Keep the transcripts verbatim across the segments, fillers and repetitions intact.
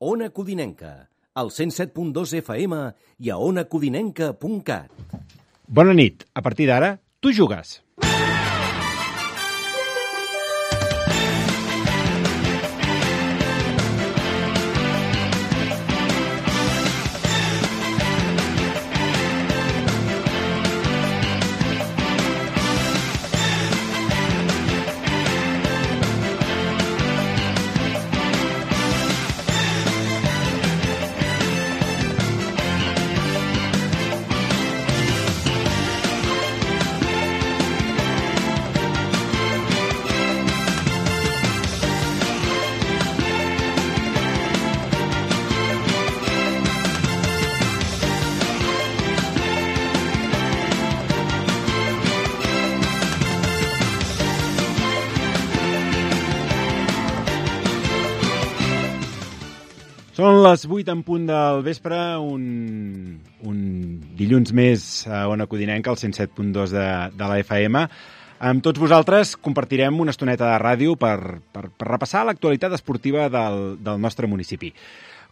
Ona Codinenca, al cent set punt dos F M i a ona codinenca punt cat. Bona nit. A partir d'ara, tu jugues. Són les vuit en punt del vespre, un, un dilluns més a Ona Codinenca, al cent set punt dos de, de la F M. Amb tots vosaltres compartirem una estoneta de ràdio per, per, per repassar l'actualitat esportiva del, del nostre municipi.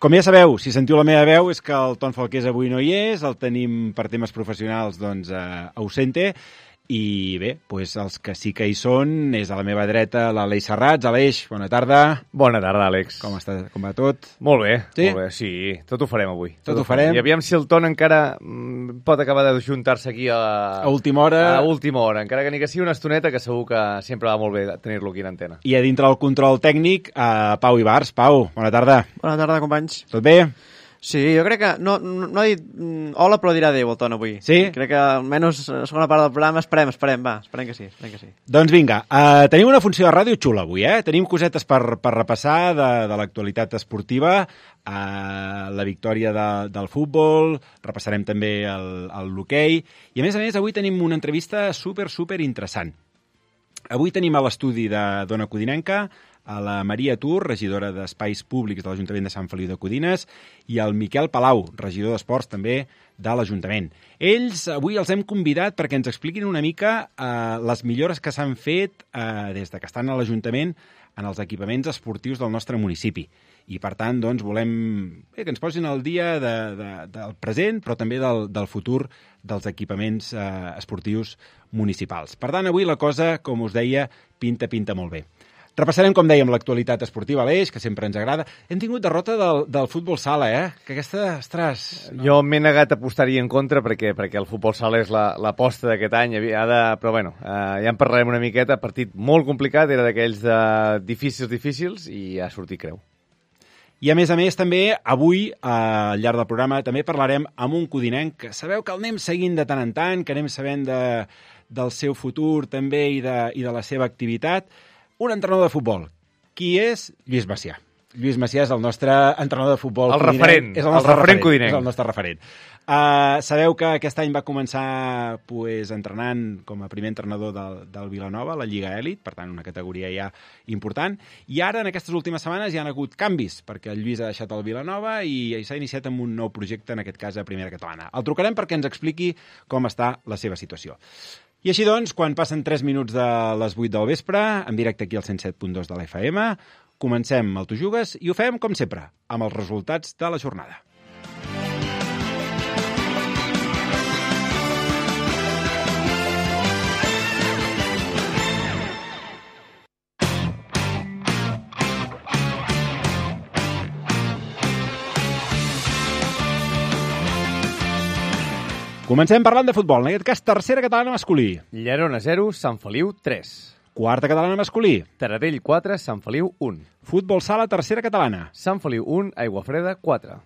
Com ja sabeu, si sentiu la meva veu, és que el Ton Falqués avui no hi és, el tenim per temes professionals doncs, a ausente. I bé, doncs els que sí que hi són és a la meva dreta l'Aleix Serrats. Aleix, bona tarda. Bona tarda, Àlex. Com està, com va tot? Molt bé, sí? molt bé, sí, tot ho farem avui. Tot, tot ho farem. I aviam si el Ton encara mm, pot acabar de juntar-se aquí a... A última hora. A última hora, encara que ni que sigui una estoneta, que segur que sempre va molt bé tenir-lo aquí en antena. I a dintre del control tècnic, a Pau Ibars. Pau, bona tarda. Bona tarda, companys. Tot bé? Sí, jo crec que no, no, no ha dit mm, hola, però dirà adéu el Ton avui. Sí? Crec que almenys la segona part del programa esperem, esperem, va, esperem que sí, esperem que sí. Doncs vinga, uh, tenim una funció de ràdio xula avui, eh? Tenim cosetes per, per repassar de, de l'actualitat esportiva, uh, la victòria de, del futbol, repassarem també el, el l'hoquei, i a més a més avui tenim una entrevista super, super interessant. Avui tenim a l'estudi de d'Ona Codinenca a la Maria Tur, regidora d'Espais Públics de l'Ajuntament de Sant Feliu de Codines, i el Miquel Palau, regidor d'Esports també de l'Ajuntament. Ells avui els hem convidat perquè ens expliquin una mica eh, les millores que s'han fet eh, des de que estan a l'Ajuntament en els equipaments esportius del nostre municipi. I, per tant, doncs, volem bé, que ens posin al dia de, de, del present, però també del, del futur dels equipaments eh, esportius municipals. Per tant, avui la cosa, com us deia, pinta, pinta molt bé. Repassarem, com dèiem, l'actualitat esportiva a l'Eix, que sempre ens agrada. Hem tingut derrota del, del futbol sala, eh? Que aquesta, ostres... No? Jo m'he negat a apostar-hi en contra perquè, perquè el futbol sala és l'aposta la, d'aquest any. Ha de, però, bueno, eh, ja en parlarem una miqueta. Partit molt complicat, era d'aquells de difícils, difícils, i ha sortit creu. I, a més a més, també, avui, al llarg del programa, també parlarem amb un codinenc que sabeu que el anem seguint de tant en tant, que anem sabent de, del seu futur també i de, i de la seva activitat. Un entrenador de futbol. Qui és? Lluís Macià. Lluís Macià és el nostre entrenador de futbol. El codinenc. referent. És el el nostre referent, referent codinenc. És el nostre referent. Uh, sabeu que aquest any va començar pues, entrenant com a primer entrenador del, del Vilanova, la Lliga Elit, per tant, una categoria ja important. I ara, en aquestes últimes setmanes, hi ha hagut canvis, perquè el Lluís ha deixat el Vilanova i s'ha iniciat amb un nou projecte, en aquest cas, a Primera Catalana. El trucarem perquè ens expliqui com està la seva situació. I així doncs, quan passen tres minuts de les vuit del vespre, en directe aquí al cent set punt dos de la F M, comencem el Tu Jugues i ho fem, com sempre, amb els resultats de la jornada. Comencem parlant de futbol, en aquest cas tercera catalana masculí. Llerona zero, Sant Feliu tres. Quarta catalana masculí. Taradell quatre, Sant Feliu un. Futbol sala, tercera catalana. Sant Feliu un, Aiguafreda quatre.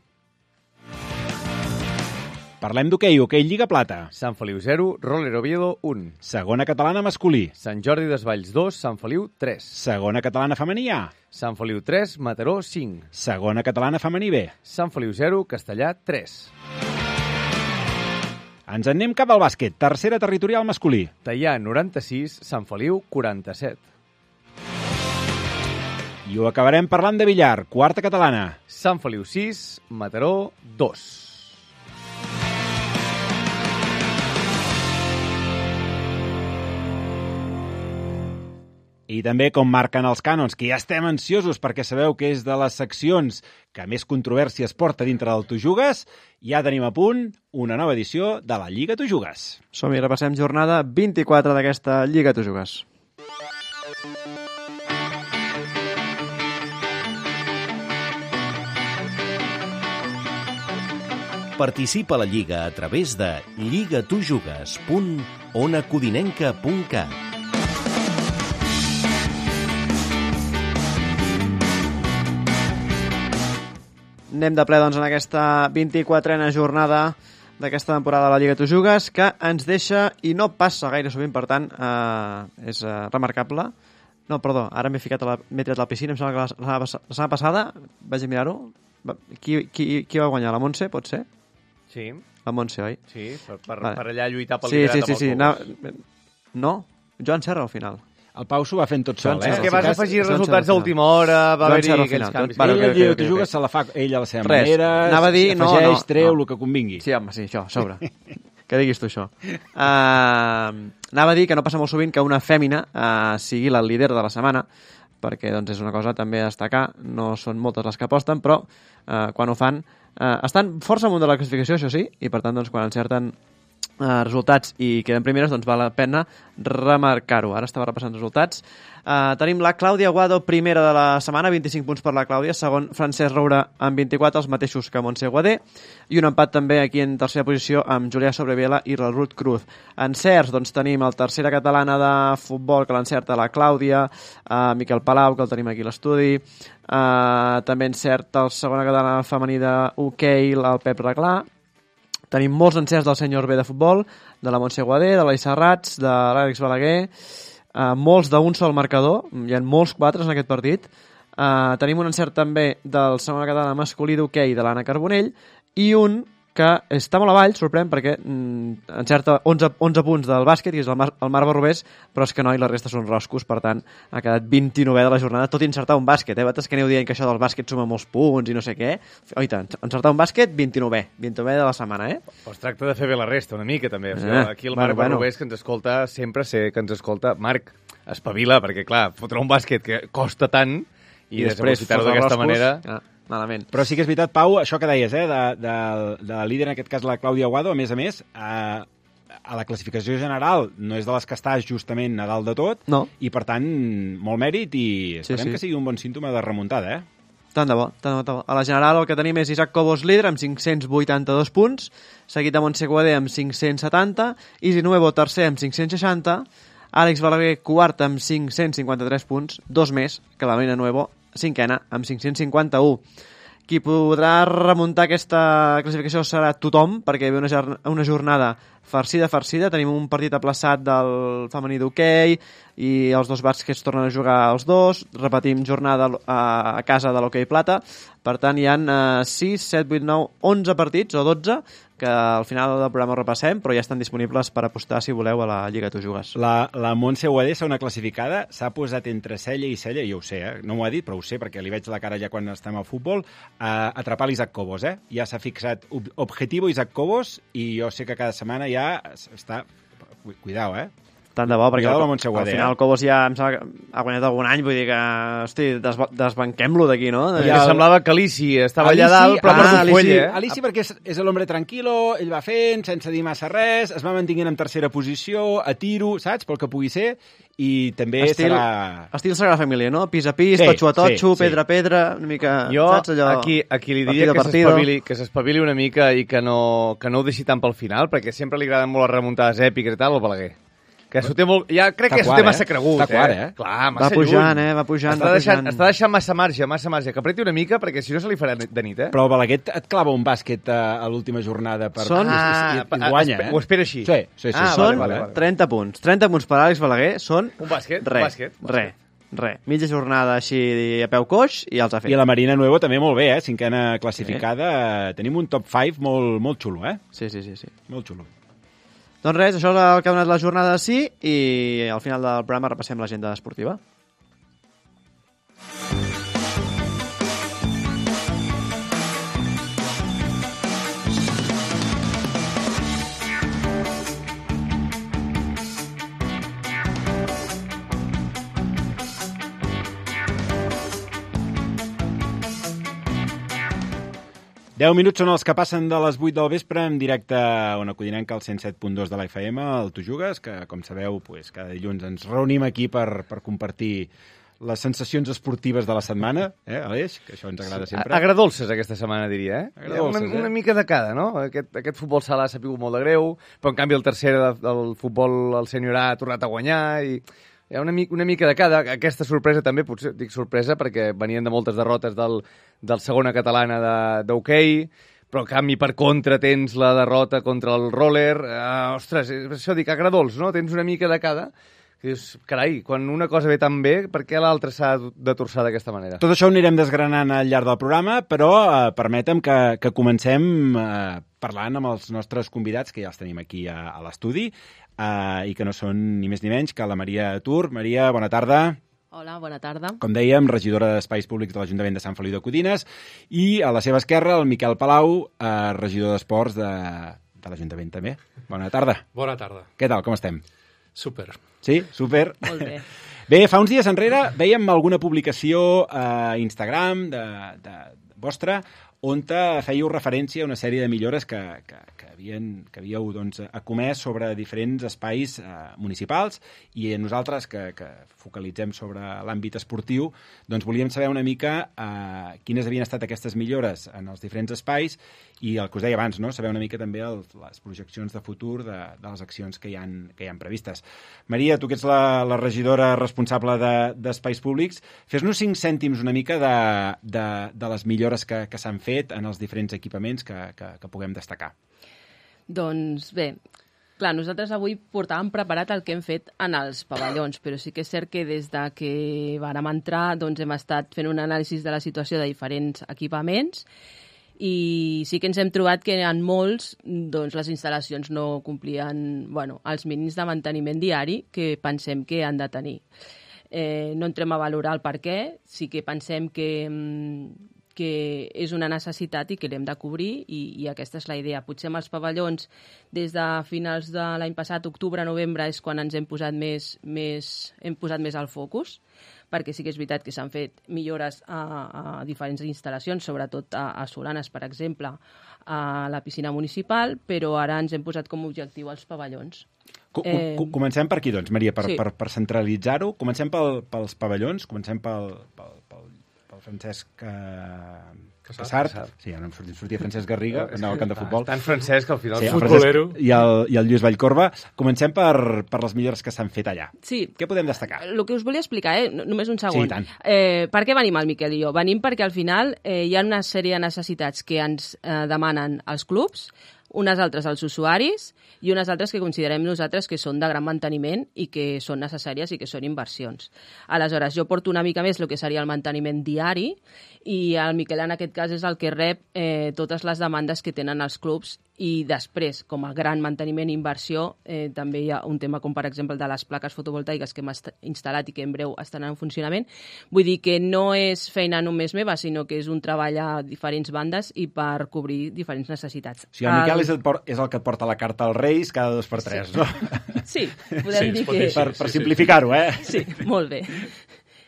Parlem d'hoquei, hoquei Lliga Plata. Sant Feliu zero, Roller Oviedo un. Segona catalana masculí. Sant Jordi Desvalls dos, Sant Feliu tres. Segona catalana femení A. Sant Feliu tres, Mataró cinc. Segona catalana femení B. Sant Feliu zero, Castellà tres. Ens en anem cap al bàsquet, tercera territorial masculí. Teià noranta-sis, Sant Feliu quaranta-set. I ho acabarem parlant de billar, quarta catalana. Sant Feliu sis, Mataró dos. I I també, com marquen els cànons, que ja estem ansiosos perquè sabeu que és de les seccions que més controvèrsies porta dintre del Tu Jugues, ja tenim a punt una nova edició de la Lliga Tu Jugues. Som-hi, repassem jornada vint-i-quatre d'aquesta Lliga Tu Jugues. Participa a la Lliga a través de lligatujugues punt ona codinenca punt cat. Anem de ple, doncs, en aquesta vint-i-quatrena jornada d'aquesta temporada de la Lliga Tu Jugues, que ens deixa, i no passa gaire sovint, per tant, eh, és eh, remarcable. No, perdó, ara m'he ficat a la, m'he tirat a la piscina, em sembla que la, la, la setmana passada, vaig a mirar-ho, qui, qui, qui va guanyar? La Montse, pot ser? Sí. La Montse, oi? Sí, per, per, vale. per allà lluitar pel sí, liderat sí, sí, sí. amb el No, no, Joan Serra al final. El Pau s'ho va fent tot sol, eh? És que vas afegir resultats a última hora, va haver-hi aquells canvis. Bueno, ell, ell, tu jugues, se la fa ell a la seva Res. manera, Anava a dir, no, afegeix, no, treu, no. el que convingui. Sí, home, sí, això, a sobre. Que diguis tu això. Uh, anava a dir que no passa molt sovint que una fèmina uh, sigui la líder de la setmana, perquè doncs, és una cosa també a destacar, no són moltes les que aposten, però uh, quan ho fan uh, estan força amunt de la classificació, això sí, i per tant, doncs, quan encerten Uh, resultats i queden primeres, doncs val la pena remarcar-ho. Ara estava repassant resultats. Uh, tenim la Clàudia Guado, primera de la setmana, vint-i-cinc punts per la Clàudia, segon Francesc Roura amb vint-i-quatre, els mateixos que Montse Guadé, i un empat també aquí en tercera posició amb Julià Sobreviela i la Ruth Cruz. Encerts, doncs tenim el tercera catalana de futbol, que l'encerta la Clàudia, uh, Miquel Palau, que el tenim aquí a l'estudi, uh, també encerta el segona catalana femení de hoquei, el Pep Reglà. Tenim molts encerts del senyor B de futbol, de la Montse Guadé, de l'Ai Serrats, de l'Àlex Balaguer, uh, molts d'un sol marcador, hi ha molts quatres en aquest partit. Uh, tenim un encert també del segona catalana masculí d'hoquei de l'Anna Carbonell i un que està molt avall, sorprèn, perquè mm, encerta onze, onze punts del bàsquet, i és el, Mar, el Marc Barrobés, però és que no, i la resta són roscos, per tant, ha quedat vint-i-novè de la jornada, tot i encertar un bàsquet, eh? Vosaltres que aneu dient que això del bàsquet suma molts punts i no sé què. Oi tant, encertar un bàsquet, vint-i-novè, vint-i-novè de la setmana, eh? Pues tracta de fer bé la resta, una mica, també. O sigui, Eh, aquí el bueno, Marc bueno. Barrobés, que ens escolta, sempre sé que ens escolta. Marc, espavila, perquè, clar, fotre un bàsquet que costa tant i, I després desaprofitar-ho fotre d'aquesta roscos, manera... ah, malament. Però sí que és veritat, Pau, això que deies, eh, de, de, de la líder, en aquest cas la Clàudia Guado, a més a més, a, a la classificació general no és de les que està justament a dalt de tot, No. i per tant, molt mèrit, i esperem sí. que sigui un bon símptoma de remuntada, eh? Tant de bo, tant de bo, tant de bo. A la general el que tenim és Isaac Cobos líder amb cinc-cents vuitanta-dos punts, seguit de Montse Guadé amb cinc-cents setanta, Isi Nuevo tercer amb cinc-cents seixanta, Àlex Balaguer quart amb cinc-cents cinquanta-tres punts, dos més que la Marina Nuevo, cinquena amb cinc-cents cinquanta-u. Qui podrà remuntar aquesta classificació serà tothom, perquè hi ha una, una jornada farcida, farcida. Tenim un partit aplaçat del femení d'hoquei i els dos bàsquets tornen a jugar els dos. Repetim jornada a, a casa de l'hoquei plata. Per tant, hi ha eh, sis, set, vuit, nou, onze partits o dotze que al final del programa repassem, però ja estan disponibles per apostar, si voleu, a la Lliga Tu Jugues. La, la Montse Guadé, una classificada, s'ha posat entre cella i cella, i jo ho sé, eh? No m'ho ha dit, però ho sé, perquè li veig la cara ja quan estem al futbol, a atrapar l'Isaac Cobos, eh? Ja s'ha fixat ob objetivo Isaac Cobos, i jo sé que cada setmana ja està... Cuidao, eh? Tant de bo, perquè Cuidado al, la Montse Guadé, al final eh? el Cobos ja em sembla que ha guanyat algun any, vull dir que, hosti, desba desbanquem-lo d'aquí, no? I Ja el... el- semblava que Alici estava allà Alici, dalt, però ah, per un Alici, fuell, eh? Alici perquè és, és l'hombre tranquilo, ell va fent, sense dir massa res, es va mantenint en tercera posició, a tiro, saps, pel que pugui ser, i també Estil, serà... estil Sagrada Família, no? Pis a pis, Sí, totxo a totxo, sí, sí. pedra a pedra, una mica, Jo, saps allò? aquí, aquí li partido diria a que partido. s'espavili que s'espavili una mica i que no, que no ho deixi tant pel final, perquè sempre li agraden molt les remuntades èpiques i tal, al Balaguer. Que s'ho té molt... Ja crec Està que s'ho quart, té massa eh? cregut, Està quart, eh? Clar, Va massa pujant, lluny. eh? Va pujant, està va deixant, pujant. Està deixant massa marge, massa marge. Que apreti una mica, perquè si no se li farà de nit, eh? Però el Balaguer et clava un bàsquet a, a l'última jornada per... Són- i, i, i, i guanya, eh? Ho espera així. Sí, sí, sí. Ah, sí. Són vale, vale, vale. trenta punts. trenta punts per Àlex Balaguer són... Un bàsquet, un Re, bàsquet, un re, re. Mitja jornada així a peu coix i els ha fet. I la Marina Nuevo també molt bé, eh? Cinquena classificada. Sí. Tenim un top cinc molt, molt xulo, eh? Sí, sí, sí, sí. Molt xulo. Doncs res, això és el que ha donat la jornada de sí i al final del programa repassem l'agenda esportiva. deu minuts són els que passen de les vuit del vespre en directe a Ona Codinenca, al cent set punt dos de la F M, al Tu Jugues, que, com sabeu, pues, cada dilluns ens reunim aquí per, per compartir les sensacions esportives de la setmana, eh, Aleix? Que això ens agrada sempre. Agradolces aquesta setmana, diria, eh? Agradolces, una, eh? una mica de cada, no? Aquest, aquest futbol sala s'ha pigut molt de greu, però en canvi el tercer de, del futbol, el senyor A, ha tornat a guanyar i... Hi ha una, mica, una mica de cada. Aquesta sorpresa també, potser dic sorpresa, perquè venien de moltes derrotes del, del segona catalana d'hoquei, però en canvi per contra tens la derrota contra el roller. Uh, ostres, això dic, agradols, no? Tens una mica de cada. Que dius, carai, quan una cosa ve tan bé, per què l'altra s'ha de torçar d'aquesta manera? Tot això ho anirem desgranant al llarg del programa, però eh, permetem que, que comencem eh, parlant amb els nostres convidats, que ja els tenim aquí a, a l'estudi, Uh, i que no són ni més ni menys que la Maria Tur. Maria, bona tarda. Hola, bona tarda. Com dèiem, regidora d'Espais Públics de l'Ajuntament de Sant Feliu de Codines, i a la seva esquerra el Miquel Palau, uh, regidor d'Esports de, de l'Ajuntament també. Bona tarda. Bona tarda. Què tal, com estem? Super. Sí? Super? Molt bé. Bé, fa uns dies enrere veiem alguna publicació a Instagram de, de vostra on fèieu referència a una sèrie de millores que, que, que, havien, que havíeu doncs, acomès sobre diferents espais eh, municipals, i nosaltres, que, que focalitzem sobre l'àmbit esportiu, doncs volíem saber una mica eh, quines havien estat aquestes millores en els diferents espais, i el que us deia abans, no? Saber una mica també el, les projeccions de futur de, de les accions que hi han, que hi han previstes. Maria, tu que ets la, la regidora responsable d'Espais de, Públics, fes-nos cinc cèntims una mica de, de, de les millores que, que s'han fet en els diferents equipaments que, que, que puguem destacar. Doncs bé, clar, nosaltres avui portàvem preparat el que hem fet en els pavellons, però sí que és cert que des de que vàrem entrar doncs hem estat fent un anàlisi de la situació de diferents equipaments, i sí que ens hem trobat que en molts doncs, les instal·lacions no complien bueno, els mínims de manteniment diari que pensem que han de tenir. Eh, no entrem a valorar el per què, sí que pensem que, que és una necessitat i que l'hem de cobrir, i, i aquesta és la idea. Potser amb els pavellons, des de finals de l'any passat, octubre-novembre, és quan ens hem posat més, més, hem posat més al focus, perquè sí que és veritat que s'han fet millores a, a diferents instal·lacions, sobretot a, a Solanes, per exemple, a la piscina municipal, però ara ens hem posat com a objectiu els pavellons. Co eh... Comencem per aquí, doncs, Maria, per, sí. per, per centralitzar-ho. Comencem pel, pels pavellons, comencem pel, pel, pel, pel Francesc eh, Casart. Sí, ara em sortia, sortia Francesc Garriga, anava al camp de futbol. Tan Francesc, al final. Sí, futbolero. I el, I el Lluís Vallcorba. Comencem per, per les millores que s'han fet allà. Sí. Què podem destacar? El que us volia explicar, eh? Només un segon. Sí, tant. Eh, per què venim el Miquel i jo? Venim perquè al final eh, hi ha una sèrie de necessitats que ens eh, demanen els clubs, unes altres als usuaris i unes altres que considerem nosaltres que són de gran manteniment i que són necessàries i que són inversions. Aleshores, jo porto una mica més el que seria el manteniment diari, i el Miquel en aquest cas és el que rep eh, totes les demandes que tenen els clubs, i després, com a gran manteniment i inversió, eh, també hi ha un tema com per exemple el de les plaques fotovoltaiques que hem instal·lat i que en breu estaran en funcionament. Vull dir que no és feina només meva, sinó que és un treball a diferents bandes i per cobrir diferents necessitats. O sigui, el Miquel és el, és el que et porta la carta als Reis cada dos per tres, sí. no? Sí, podem sí, dir que... que... Per, per simplificar-ho, eh? Sí, molt bé.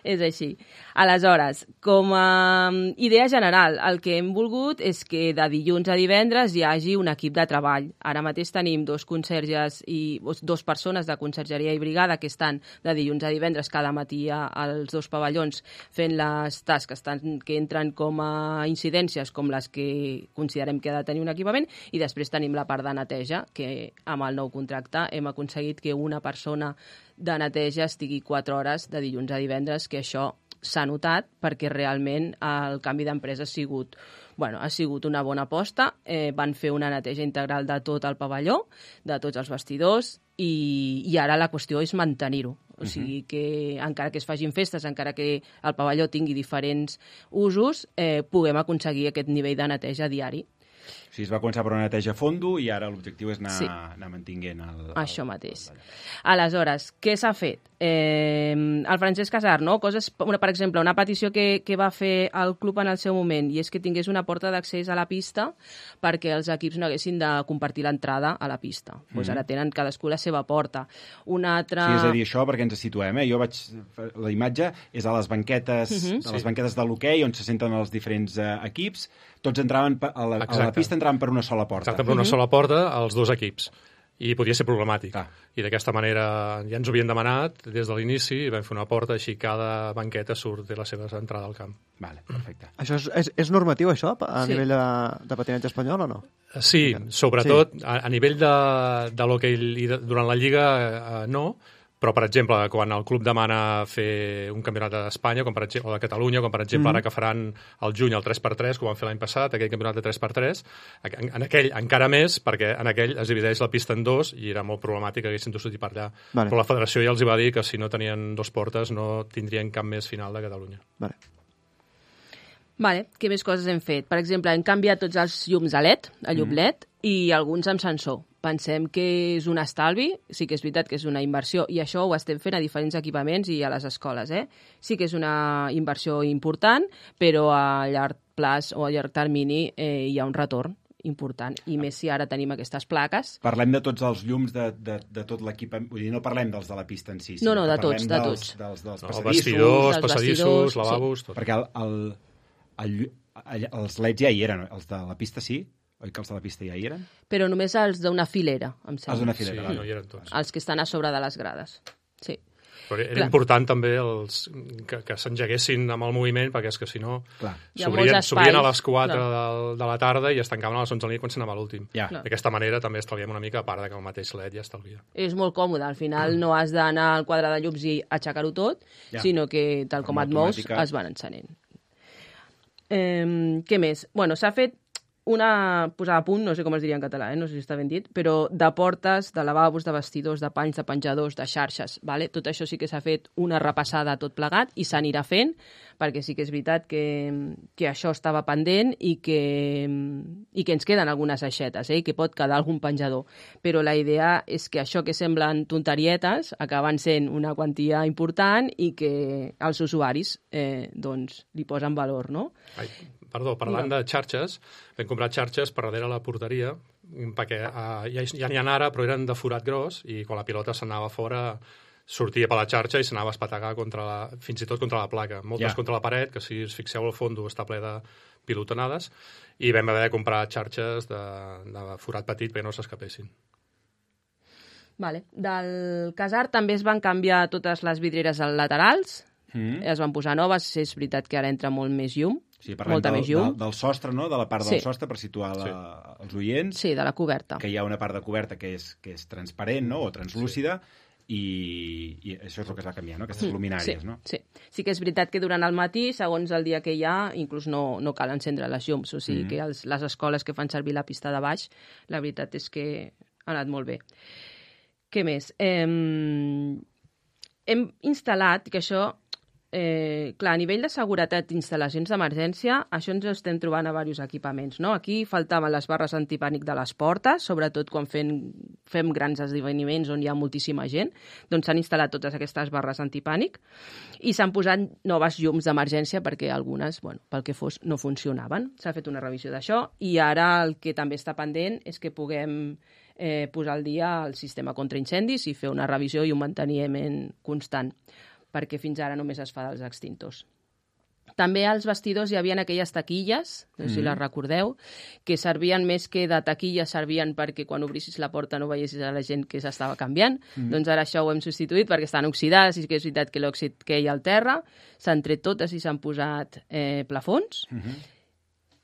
És així. Aleshores, com a idea general, el que hem volgut és que de dilluns a divendres hi hagi un equip de treball. Ara mateix tenim dos conserges i dos persones de consergeria i brigada que estan de dilluns a divendres cada matí als dos pavellons fent les tasques tant que entren com a incidències com les que considerem que ha de tenir un equipament, i després tenim la part de neteja, que amb el nou contracte hem aconseguit que una persona de neteja estigui quatre hores de dilluns a divendres, que això s'ha notat perquè realment el canvi d'empresa ha sigut, bueno, ha sigut una bona aposta. Eh, van fer una neteja integral de tot el pavelló, de tots els vestidors, i, i ara la qüestió és mantenir-ho. O sigui que encara que es facin festes, encara que el pavelló tingui diferents usos, eh, puguem aconseguir aquest nivell de neteja diari. O sigui, es va començar per una neteja a fondo i ara l'objectiu és anar, sí. anar mantinguent el, el... Això mateix. El... Aleshores, què s'ha fet? eh, el Francesc Casar, no? Coses, una, per exemple, una petició que, que va fer el club en el seu moment, i és que tingués una porta d'accés a la pista perquè els equips no haguessin de compartir l'entrada a la pista. Mm -hmm. Pues ara tenen cadascú la seva porta. Una altra... Sí, és a dir, això perquè ens situem, eh? Jo vaig... La imatge és a les banquetes, mm -hmm. a les sí. banquetes de l'hoquei on se senten els diferents eh, equips. Tots entraven a la, a la pista entraven per una sola porta. Exacte, per una Mhm. sola porta als dos equips. I podia ser problemàtic. Ah. I d'aquesta manera ja ens ho havien demanat des de l'inici i vam fer una porta, així cada banqueta surt de la seva entrada al camp. Vale, perfecte. Això és, és, és normatiu, això, a Sí. nivell de, de patinatge espanyol o no? Sí, sobretot sí. A, a nivell de, de l'hoquei i de, durant la Lliga eh, no, però, per exemple, quan el club demana fer un campionat d'Espanya, com per exemple, o de Catalunya, com per exemple mm. ara que faran al juny el tres per tres, que ho van fer l'any passat, aquell campionat de tres per tres, en, en aquell encara més, perquè en aquell es divideix la pista en dos i era molt problemàtic que haguessin de sortir per allà. Vale. Però la federació ja els hi va dir que si no tenien dos portes no tindrien cap més final de Catalunya. Vale. Vale, què més coses hem fet? Per exemple, hem canviat tots els llums a L E D, a llum L E D, i alguns amb sensor. Pensem que és un estalvi, sí que és veritat que és una inversió, i això ho estem fent a diferents equipaments i a les escoles. Eh? Sí que és una inversió important, però a llarg plaç o a llarg termini eh, hi ha un retorn important, i més si ara tenim aquestes plaques. Parlem de tots els llums de, de, de tot l'equipament, vull dir, no parlem dels de la pista en si, No, no, sinó de que tots, parlem de dels, tots. dels, dels No, passadissos, vestidors, dels passadissos, vestidors, lavabos, tot. perquè el, el, el, el, els L E Ds ja hi eren, els de la pista sí, oi que els de la pista ja hi eren? Però només els d'una filera, em Els sembla. d'una Sí, filera, no vale. hi eren tots. Els que estan a sobre de les grades. Sí. Però era Clar. important també els, que, que s'engeguessin amb el moviment, perquè és que si no Clar. Hi ha s'obrien molts s'obrien a espais, les quatre clar. de, de la tarda i es tancaven a les onze de la nit quan s'anava a l'últim. Ja. Clar. D'aquesta manera també estalviem una mica, a part de que el mateix L E D ja estalvia. És molt còmode, al final no has d'anar al quadre de llums i aixecar-ho tot, Ja. sinó que tal com Forma et mous automàtica. es van encenent. Eh, què més? Bueno, s'ha fet una posada a punt, no sé com es diria en català, eh? No sé si està ben dit, però de portes, de lavabos, de vestidors, de panys, de penjadors, de xarxes, vale? Tot això sí que s'ha fet una repassada tot plegat i s'anirà fent, perquè sí que és veritat que, que això estava pendent i que, i que ens queden algunes aixetes, eh? I que pot quedar algun penjador. Però la idea és que això que semblen tonterietes acaben sent una quantia important i que els usuaris eh, doncs, li posen valor, no? Ai, perdó, parlant de xarxes, vam comprar xarxes per darrere la porteria, perquè uh, ja, ja n'hi ha ara, però eren de forat gros, i quan la pilota s'anava fora sortia per la xarxa i s'anava a espetegar contra la, fins i tot contra la placa. Moltes Ja. contra la paret, que si us fixeu al fons està ple de pilotonades, i vam haver de comprar xarxes de, de forat petit perquè no s'escapessin. Vale. Del casar també es van canviar totes les vidrieres laterals, Mm. es van posar noves, és veritat que ara entra molt més llum, Sí, parlem molta del, més llum. del, del sostre, no? De la part del Sí. sostre, per situar la, sí. els oients, Sí, de la coberta. que hi ha una part de coberta que és, que és transparent, no?, o translúcida, i, i això és el que es va canviar, no?, aquestes luminàries, sí, no? Sí. sí que és veritat que durant el matí, segons el dia que hi ha, inclús no, no cal encendre les llums, o sigui Mhm. que els, les escoles que fan servir la pista de baix, la veritat és que ha anat molt bé. Què més? Eh, hem instal·lat, que això... Eh, clar, a nivell de seguretat d'instal·lacions d'emergència, això ens ho estem trobant a diversos equipaments, no? Aquí faltaven les barres antipànic de les portes, sobretot quan fem, fem grans esdeveniments on hi ha moltíssima gent, doncs s'han instal·lat totes aquestes barres antipànic i s'han posat noves llums d'emergència perquè algunes, bueno, pel que fos, no funcionaven. S'ha fet una revisió d'això i ara el que també està pendent és que puguem eh, posar al dia el sistema contra incendis i fer una revisió i un manteniment constant, perquè fins ara només es fa dels extintors. També als vestidors hi havia aquelles taquilles, no sé si les recordeu, que servien més que de taquilles, servien perquè quan obrissis la porta no veiessis a la gent que s'estava canviant. Mm. Doncs ara això ho hem substituït perquè estan oxidades, i que és veritat que l'òxid que hi ha al terra, s'han tret totes i s'han posat eh, plafons. Mm -hmm.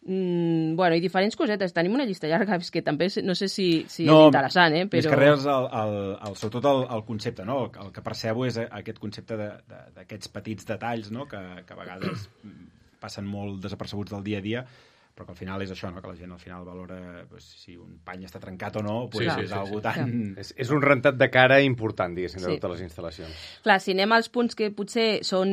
Mm, bueno, i diferents cosetes. Tenim una llista llarga, és que també no sé si, si No, és interessant, eh? Però... Més que res, el, el, el, sobretot el, el concepte, no? El, el que percebo és aquest concepte d'aquests de, de, petits detalls, no?, que, que a vegades passen molt desapercebuts del dia a dia, però que al final és això, no?, que la gent al final valora pues, si un pany està trencat o no, pues, Sí, sí, és sí, algo sí. tan... És, és un rentat de cara important, diguéssim, de Sí. totes les instal·lacions. Clar, si anem als punts que potser són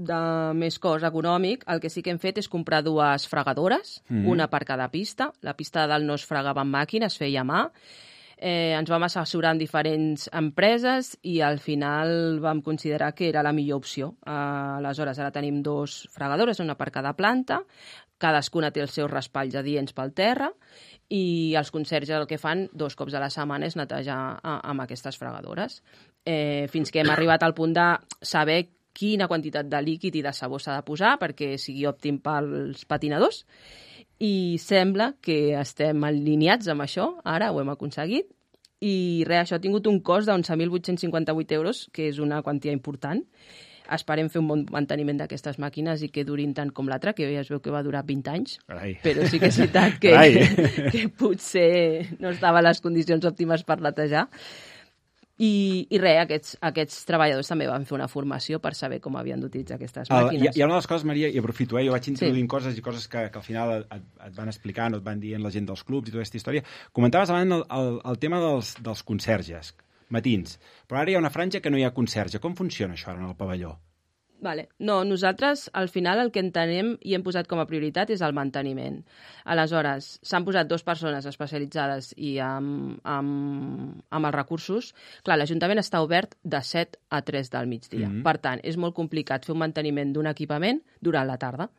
de més cost econòmic, el que sí que hem fet és comprar dues fregadores, mm. una per cada pista. La pista de dalt no es fregava amb màquina, es feia a mà. Eh, ens vam assessorar amb diferents empreses i al final vam considerar que era la millor opció. Eh, aleshores, ara tenim dos fregadores, una per cada planta, cadascuna té els seus raspalls adients pel terra i els conserges el que fan dos cops a la setmana és netejar a, amb aquestes fregadores. Eh, fins que hem arribat al punt de saber quina quantitat de líquid i de sabó s'ha de posar perquè sigui òptim pels patinadors. I sembla que estem alineats amb això, ara ho hem aconseguit, i res, això ha tingut un cost d'onze mil vuit-cents cinquanta-vuit euros, que és una quantia important. Esperem fer un bon manteniment d'aquestes màquines i que durin tant com l'altra, que ja es veu que va durar vint anys, Carai. però sí que és veritat que, que potser no estava a les condicions òptimes per netejar. I, i res, aquests, aquests treballadors també van fer una formació per saber com havien d'utilitzar aquestes màquines. Uh, hi, hi ha una de les coses, Maria, i aprofito, eh? Jo vaig introduint sí. coses i coses que, que al final et, et van explicant o et van dient la gent dels clubs i tota aquesta història. Comentaves abans el, el, el tema dels, dels conserges, matins, però ara hi ha una franja que no hi ha conserge. Com funciona això ara en el pavelló? Vale. No, nosaltres al final el que entenem i hem posat com a prioritat és el manteniment. Aleshores, s'han posat dues persones especialitzades i amb, amb, amb els recursos. Clar, l'Ajuntament està obert de set a tres del migdia. Mm-hmm. Per tant, és molt complicat fer un manteniment d'un equipament durant la tarda.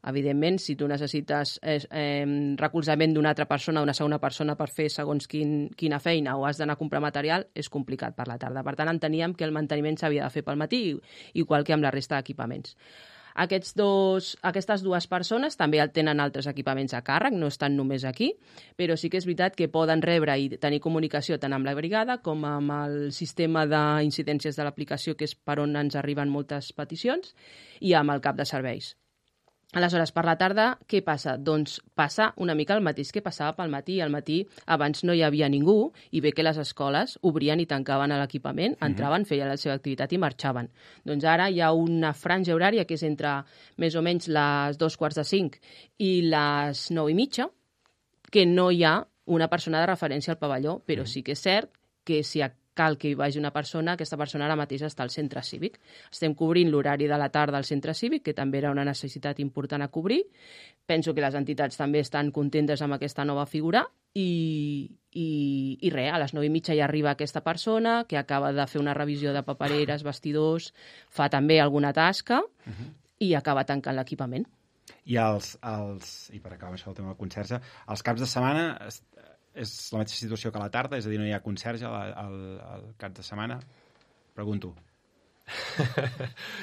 Evidentment, si tu necessites eh, eh, recolzament d'una altra persona, una segona persona per fer segons quin, quina feina o has d'anar a comprar material, és complicat per la tarda. Per tant, enteníem que el manteniment s'havia de fer pel matí, igual que amb la resta d'equipaments. Aquests dos, aquestes dues persones també tenen altres equipaments a càrrec, no estan només aquí, però sí que és veritat que poden rebre i tenir comunicació tant amb la brigada com amb el sistema d'incidències de l'aplicació, que és per on ens arriben moltes peticions, i amb el cap de serveis. Aleshores, per la tarda, què passa? Doncs passa una mica el mateix que passava pel matí. Al matí abans no hi havia ningú i bé que les escoles obrien i tancaven l'equipament, entraven, feien la seva activitat i marxaven. Doncs ara hi ha una franja horària que és entre més o menys les dos quarts de cinc i les nou i mitja, que no hi ha una persona de referència al pavelló, però sí que és cert que si cal que hi vagi una persona, aquesta persona ara mateix està al centre cívic. Estem cobrint l'horari de la tarda al centre cívic, que també era una necessitat important a cobrir. Penso que les entitats també estan contentes amb aquesta nova figura i, i, i res, a les nou i mitja ja arriba aquesta persona que acaba de fer una revisió de papereres, vestidors, fa també alguna tasca uh-huh. i acaba tancant l'equipament. I, els, els, i per acabar això el tema del conserge, els caps de setmana és la mateixa situació que a la tarda? És a dir, no hi ha conserge al, al, al cap de setmana? Pregunto.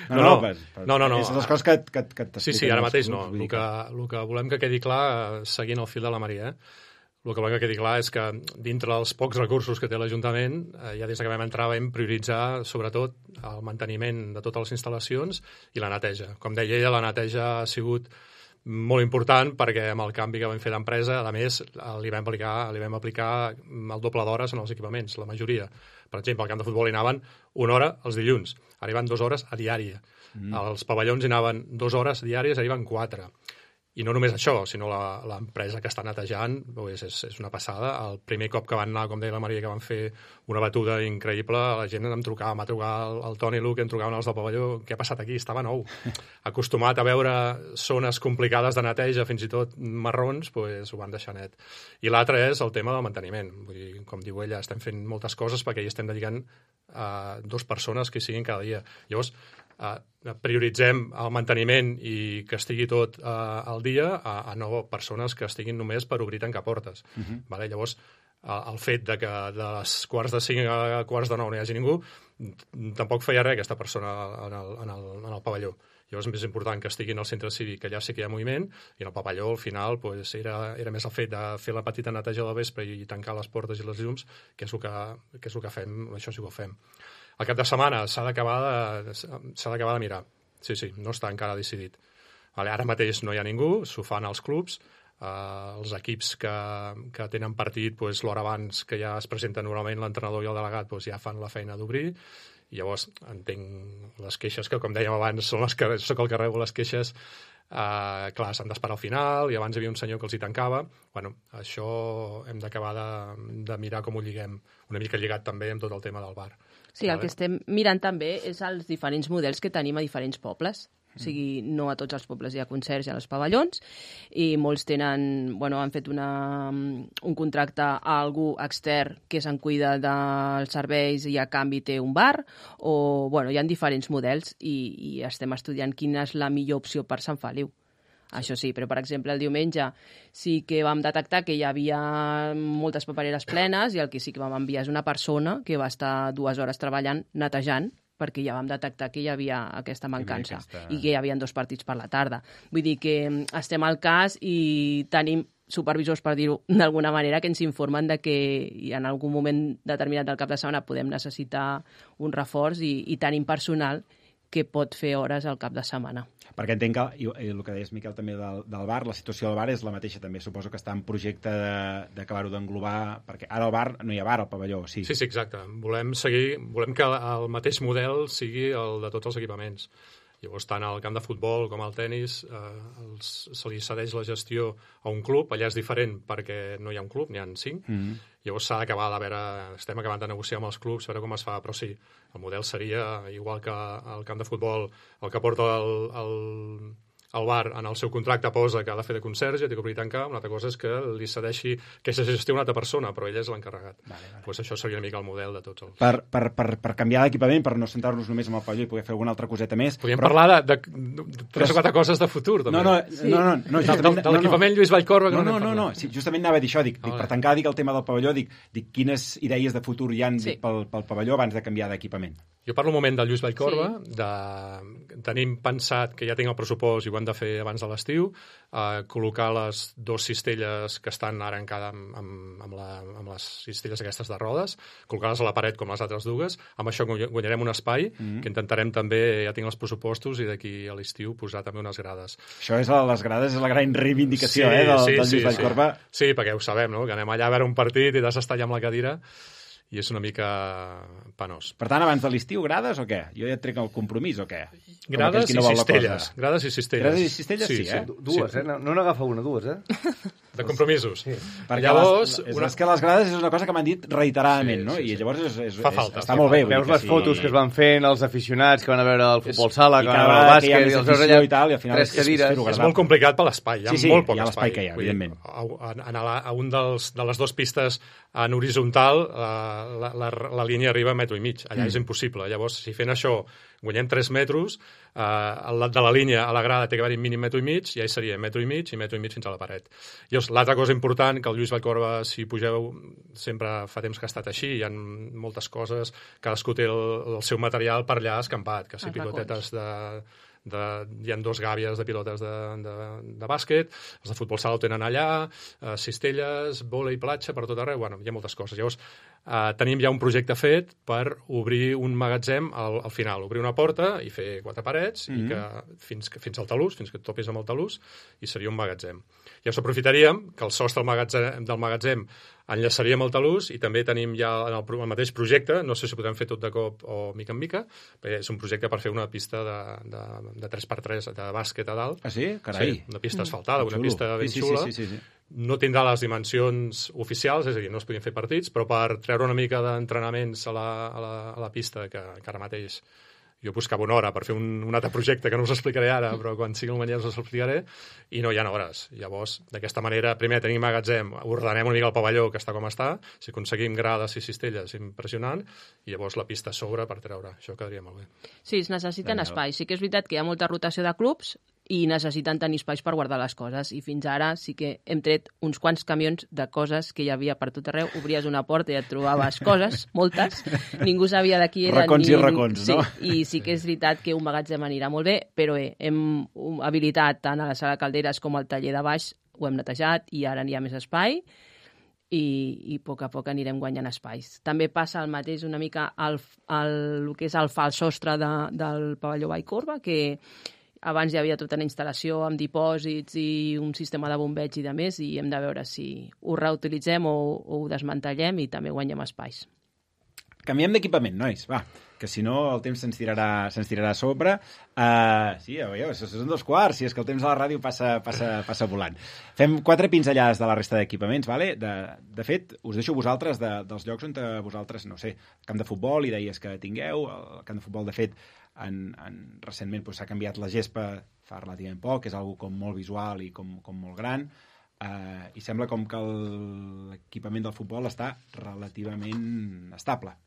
No, no, no, per, per, no, no, no. És les coses que, que, que t'expliquen. Sí, sí, ara mateix no. El que, el que volem que quedi clar, seguint el fil de la Maria, eh? el que volem que quedi clar és que dintre dels pocs recursos que té l'Ajuntament, eh, ja des que vam entrar vam prioritzar sobretot el manteniment de totes les instal·lacions i la neteja. Com deia ella, la neteja ha sigut molt important perquè amb el canvi que vam fer d'empresa, a més, li vam aplicar, li vam aplicar el doble d'hores en els equipaments, la majoria. Per exemple, al camp de futbol hi anaven una hora els dilluns, ara hi van dues hores a diària. Mm. Els pavellons hi anaven dues hores diàries, ara hi van quatre. I no només això, sinó l'empresa que està netejant, és, és, és una passada. El primer cop que van anar, com deia la Maria, que van fer una batuda increïble, la gent em trucava, m'ha trucat el, el Toni Luc, em trucaven els del pavelló, què ha passat aquí? Estava nou. Acostumat a veure zones complicades de neteja, fins i tot marrons, pues, ho van deixar net. I l'altre és el tema del manteniment. Vull dir, com diu ella, estem fent moltes coses perquè hi estem dedicant a dues persones que siguin cada dia. Llavors, Uh, prioritzem el manteniment i que estigui tot uh, al dia a, a no persones que estiguin només per obrir tancar portes. Uh-huh. Vale? Llavors, uh, el fet de que de les quarts de cinc a quarts de nou no hi hagi ningú, tampoc feia res aquesta persona en el, en el, en el pavelló. Llavors és més important que estigui en el centre cívic, que allà sí que hi ha moviment, i en el pavelló, al final, pues, era, era més el fet de fer la petita neteja del vespre i tancar les portes i les llums, que és el que, que, és el que fem, això sí que ho fem. El cap de setmana s'ha d'acabar de, s'ha d'acabar de mirar. Sí, sí, no està encara decidit. Vale, ara mateix no hi ha ningú, s'ho fan als clubs, eh, els equips que, que tenen partit pues, l'hora abans que ja es presenta normalment l'entrenador i el delegat pues, ja fan la feina d'obrir, i llavors entenc les queixes que, com dèiem abans, són les que soc el que rebo les queixes, eh, clar, s'han d'esperar al final, i abans hi havia un senyor que els hi tancava. Bueno, això hem d'acabar de, de mirar com ho lliguem, una mica lligat també amb tot el tema del bar. Sí, el que estem mirant també és els diferents models que tenim a diferents pobles. O sigui, no a tots els pobles hi ha conserge als pavellons i molts tenen, bueno, han fet una, un contracte a algú extern que se'n cuida dels serveis i a canvi té un bar, o, bueno, hi ha diferents models i, i estem estudiant quina és la millor opció per Sant Feliu. Això sí, però, per exemple, el diumenge sí que vam detectar que hi havia moltes papereres plenes i el que sí que vam enviar és una persona que va estar dues hores treballant, netejant, perquè ja vam detectar que hi havia aquesta mancança aquesta... i que hi havia dos partits per la tarda. Vull dir que estem al cas i tenim supervisors, per dir-ho d'alguna manera, que ens informen de que en algun moment determinat del cap de setmana podem necessitar un reforç i, i tenim personal que pot fer hores al cap de setmana. Perquè entenc que, i, i el que deies, Miquel, també del, del bar, la situació del bar és la mateixa també. Suposo que està en projecte d'acabar-ho d'englobar, perquè ara al bar no hi ha bar al pavelló, sí. Sí, sí, exacte. Volem seguir, volem que el mateix model sigui el de tots els equipaments. Llavors, tant al camp de futbol com al tennis eh, els, se li cedeix la gestió a un club. Allà és diferent perquè no hi ha un club, n'hi ha cinc. Mm-hmm. Llavors s'ha d'acabar de veure, estem acabant de negociar amb els clubs, veure com es fa, però sí, el model seria igual que al camp de futbol, el que porta el, el, el bar en el seu contracte posa que ha de fer de conserge, té que obrir i tancar, una altra cosa és que li cedeixi aquesta gestió a una altra persona, però ell és l'encarregat. Vale, vale. Pues això seria una mica el model de tots els... Per, per, per, per canviar d'equipament, per no centrar-nos només en el pavelló i poder fer alguna altra coseta més... Podríem però... parlar de, de, de tres o quatre coses de futur, també. No, no, sí. no, no, no justament... De l'equipament Lluís Vallcorba... No, no, no, no, sí, justament anava a dir això, dic, dic, per tancar dic el tema del pavelló, dic, dic quines idees de futur hi ha sí. pel, pel pavelló abans de canviar d'equipament. Jo parlo un moment del Lluís Vallcorba, sí. de... tenim pensat que ja tinc el pressupost i ho hem de fer abans de l'estiu, eh, col·locar les dues cistelles que estan ara encara amb, amb, amb, la, amb les cistelles aquestes de rodes, col·locar-les a la paret com les altres dues, amb això guanyarem un espai, mm-hmm. que intentarem també, ja tinc els pressupostos, i d'aquí a l'estiu posar també unes grades. Això és a les grades, és la gran reivindicació sí, eh, del, sí, del Lluís sí, Vallcorba. Sí. sí, perquè ho sabem, no? Que anem allà a veure un partit i t'has d'estar allà amb la cadira, i és una mica penós. Per tant, abans de l'estiu, grades o què? Jo ja et trec el compromís o què? Grades i no cistelles. Grades i cistelles. Grades i cistelles, sí, sí, eh? sí. Dues, sí. eh? No, no n'agafa una, dues, eh? De compromisos. Sí. Perquè llavors, les, una... és que les grades és una cosa que m'han dit reiteradament, sí, no? Sí, sí. I llavors és, és, fa falta. És, està molt bé. Veus les sí. fotos que es van fent els aficionats que van a veure el futbol sala, que van a veure el bàsquet, i els veus allà i tal, i al final tres cadires. És, és molt complicat per l'espai, hi ha sí, sí, molt poc hi ha espai. Que hi ha, evidentment. A, a, a, a un dels, de les dues pistes en horitzontal, la, la, la línia arriba a metro i mig. Allà mm. és impossible. Llavors, si fent això guanyem tres metres, eh, al de la línia a la grada té que haver-hi mínim metro i mig, i ja seria metro i mig i metro i mig fins a la paret. Llavors, l'altra cosa important, que el Lluís Vallcorba, si pugeu, sempre fa temps que ha estat així, hi ha moltes coses, cadascú té el, el seu material per allà escampat, que si pilotetes de... De, hi ha dos gàbies de pilotes de, de, de bàsquet, els de futbol sala ho tenen allà, eh, cistelles, vòlei, platja, per tot arreu, bueno, hi ha moltes coses. Llavors, eh, tenim ja un projecte fet per obrir un magatzem al, al final, obrir una porta i fer quatre parets, mm-hmm. i que fins, fins al talús, fins que et topis amb el talús, i seria un magatzem. Llavors aprofitaríem que el sostre del magatzem, del magatzem enllaçaríem el talús, i també tenim ja en el, el mateix projecte, no sé si podem fer tot de cop o mica en mica, perquè és un projecte per fer una pista de, de, de tres per tres de bàsquet a dalt. Ah, sí? Carai. Sí, una pista asfaltada, mm. una pista ben sí, sí, xula. Sí, sí, sí, sí. No tindrà les dimensions oficials, és a dir, no es podien fer partits, però per treure una mica d'entrenaments a, la, a, la, a la pista, que, que ara mateix jo buscava una hora per fer un, un altre projecte que no us explicaré ara, però quan sigui el manera us explicaré, i no hi ha hores. Llavors, d'aquesta manera, primer tenim magatzem, ordenem una mica el pavelló, que està com està, si aconseguim grades i cistelles, impressionant, i llavors la pista a sobre per treure. Això quedaria molt bé. Sí, es necessiten espais. Sí que és veritat que hi ha molta rotació de clubs i necessiten tenir espais per guardar les coses. I fins ara sí que hem tret uns quants camions de coses que hi havia per tot arreu. Obries una porta i et trobaves coses, moltes. Ningú sabia de qui eren. Racons ni... i racons, sí, no? I sí que és veritat que un magatzem anirà molt bé, però bé, hem habilitat tant a la sala Calderes com al taller de baix, ho hem netejat i ara n'hi ha més espai. I, i a poc a poc anirem guanyant espais. També passa el mateix una mica al, al, el que és el fals sostre de, del pavelló Vallcorba, que abans hi havia tota una instal·lació amb dipòsits i un sistema de bombeig i de més, i hem de veure si ho reutilitzem o, o ho desmantellem i també guanyem espais. Canviem d'equipament, nois, va, que si no el temps se'ns tirarà, se'ns tirarà a sobre. Uh, sí, ja veieu, són dos quarts, si és que el temps a la ràdio passa, passa, passa volant. Fem quatre pinzellades de la resta d'equipaments, vale? De, de fet, us deixo vosaltres de, dels llocs on vosaltres, no sé, camp de futbol, i deies que tingueu, el camp de futbol, de fet, en, en, recentment doncs, s'ha canviat la gespa fa relativament poc, és algo com molt visual i com, com molt gran, eh, i sembla com que l'equipament del futbol està relativament estable.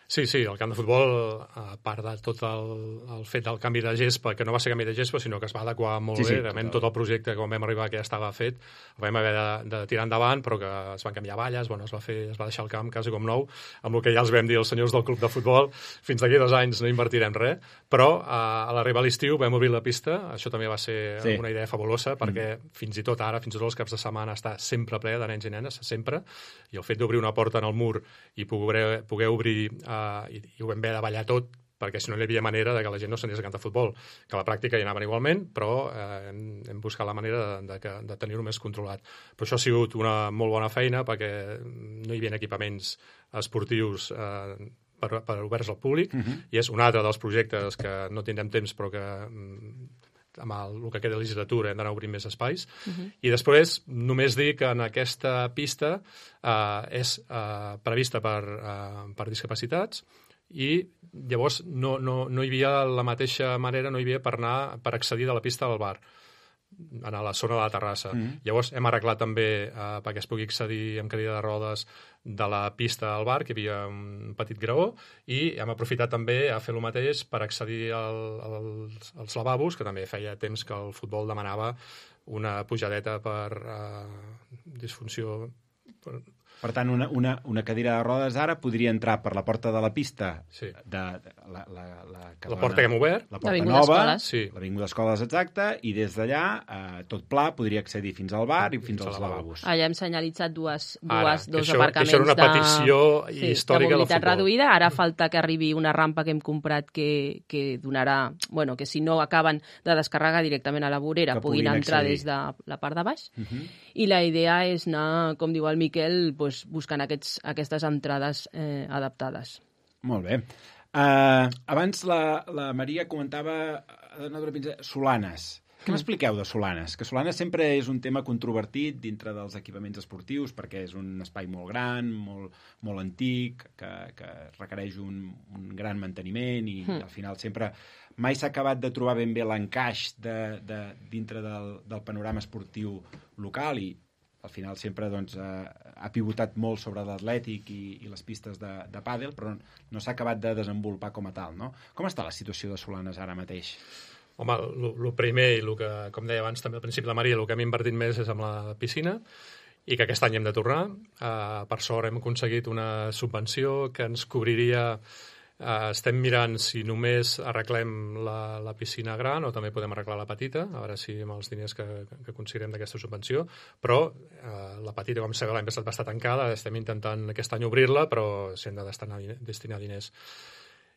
Sí, sí, el camp de futbol, a part de tot el, el fet del canvi de gespa, que no va ser canvi de gespa, sinó que es va adequar molt sí, bé, sí, realment tot el projecte, quan vam arribar, que ja estava fet, el vam haver de, de tirar endavant, però que es van canviar valles, bueno, es va fer, es va deixar el camp quasi com nou, amb el que ja els vam dir els senyors del club de futbol, fins d'aquí dos anys no invertirem res, però a, a l'arribar a l'estiu vam obrir la pista, això també va ser sí. una idea fabulosa, perquè mm. fins i tot ara, fins i tot els caps de setmana, està sempre ple de nens i nenes, sempre, i el fet d'obrir una porta en el mur i poder, poder obrir Uh, i, i ho vam haver de ballar tot perquè si no hi havia manera de que la gent no s'anés a cantar futbol, que a la pràctica hi anaven igualment, però eh, hem, hem buscat la manera de, de, de, de tenir-ho més controlat. Però això ha sigut una molt bona feina perquè no hi havia equipaments esportius eh, per, per oberts al públic, uh-huh. i és un altre dels projectes que no tindrem temps però que amb el, el que queda de legislatura hem d'anar obrint més espais. Uh-huh. I després només dir que en aquesta pista eh, és eh, prevista per, eh, per discapacitats i llavors no, no, no hi havia la mateixa manera, no hi havia per anar per accedir de la pista al bar a la zona de la terrassa. Mm. Llavors hem arreglat també eh, perquè es pugui accedir amb cadira de rodes de la pista al bar, que hi havia un petit graó, i hem aprofitat també a fer el mateix per accedir al, als, als lavabos, que també feia temps que el futbol demanava una pujadeta per eh, disfunció... Per... Per tant, una, una, una cadira de rodes ara podria entrar per la porta de la pista, sí. de, de la, la, la, que la porta que hem obert, la porta L'Avinguda nova, Escoles. Sí. l'Avinguda Escoles, exacte, i des d'allà, eh, tot pla, podria accedir fins al bar i fins, fins als lavabos. Allà hem senyalitzat dues, dues, ara, dos això, aparcaments això era una petició de, sí, de històrica del mobilitat futbol. reduïda. Ara falta que arribi una rampa que hem comprat que, que donarà, bueno, que si no acaben de descarregar directament a la vorera, que puguin, puguin entrar accedir. des de la part de baix. Uh-huh. I la idea és anar, com diu el Miquel, pues, buscant aquests, aquestes entrades eh, adaptades. Molt bé. Uh, abans la, la Maria comentava uh, Solanes. Què m'expliqueu de Solanes? Que Solanes sempre és un tema controvertit dintre dels equipaments esportius perquè és un espai molt gran, molt, molt antic, que, que requereix un, un gran manteniment i mm. al final sempre mai s'ha acabat de trobar ben bé l'encaix de, de, dintre del, del panorama esportiu local i al final sempre doncs, eh, ha pivotat molt sobre l'atlètic i, i les pistes de, de pàdel, però no s'ha acabat de desenvolupar com a tal, no? Com està la situació de Solanes ara mateix? Home, el primer, i el que, com deia abans també al principi la Maria, el que hem invertit més és amb la piscina, i que aquest any hem de tornar. Uh, per sort hem aconseguit una subvenció que ens cobriria... Uh, estem mirant si només arreglem la, la piscina gran o també podem arreglar la petita, a veure si amb els diners que, que aconseguirem d'aquesta subvenció, però uh, la petita, com sabeu, l'any passat va estar tancada, estem intentant aquest any obrir-la, però s'hi han de destinar, destinar diners.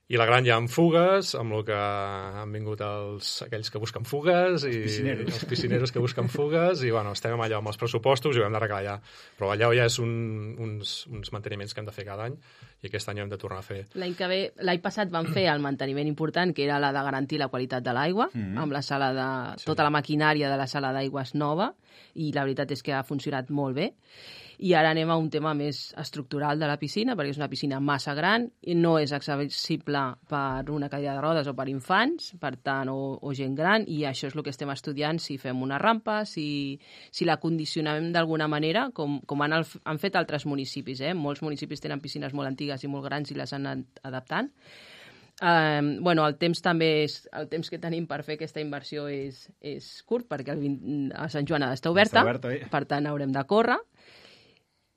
I la gran ja amb fugues, amb el que han vingut els, aquells que busquen fugues i els piscineros. els piscineros que busquen fugues i bueno, estem allò amb els pressupostos i ho hem d'arreglar allà. Però allò ja és un, uns, uns manteniments que hem de fer cada any i aquest any hem de tornar a fer. L'any que ve, l'any passat vam fer el manteniment important, que era la de garantir la qualitat de l'aigua, mm -hmm. amb la sala de... Sí. tota la maquinària de la sala d'aigües nova, i la veritat és que ha funcionat molt bé. I ara anem a un tema més estructural de la piscina, perquè és una piscina massa gran i no és accessible per una cadira de rodes o per infants, per tant, o, o gent gran, i això és el que estem estudiant, si fem una rampa, si, si la condicionem d'alguna manera, com, com han, han fet altres municipis. Eh? Molts municipis tenen piscines molt antigues i molt grans i les han anat adaptant. Uh, bueno, el temps també és, el temps que tenim per fer aquesta inversió és, és curt, perquè el vint, a Sant Joan ha d'estar oberta, oberta eh? per tant haurem de córrer,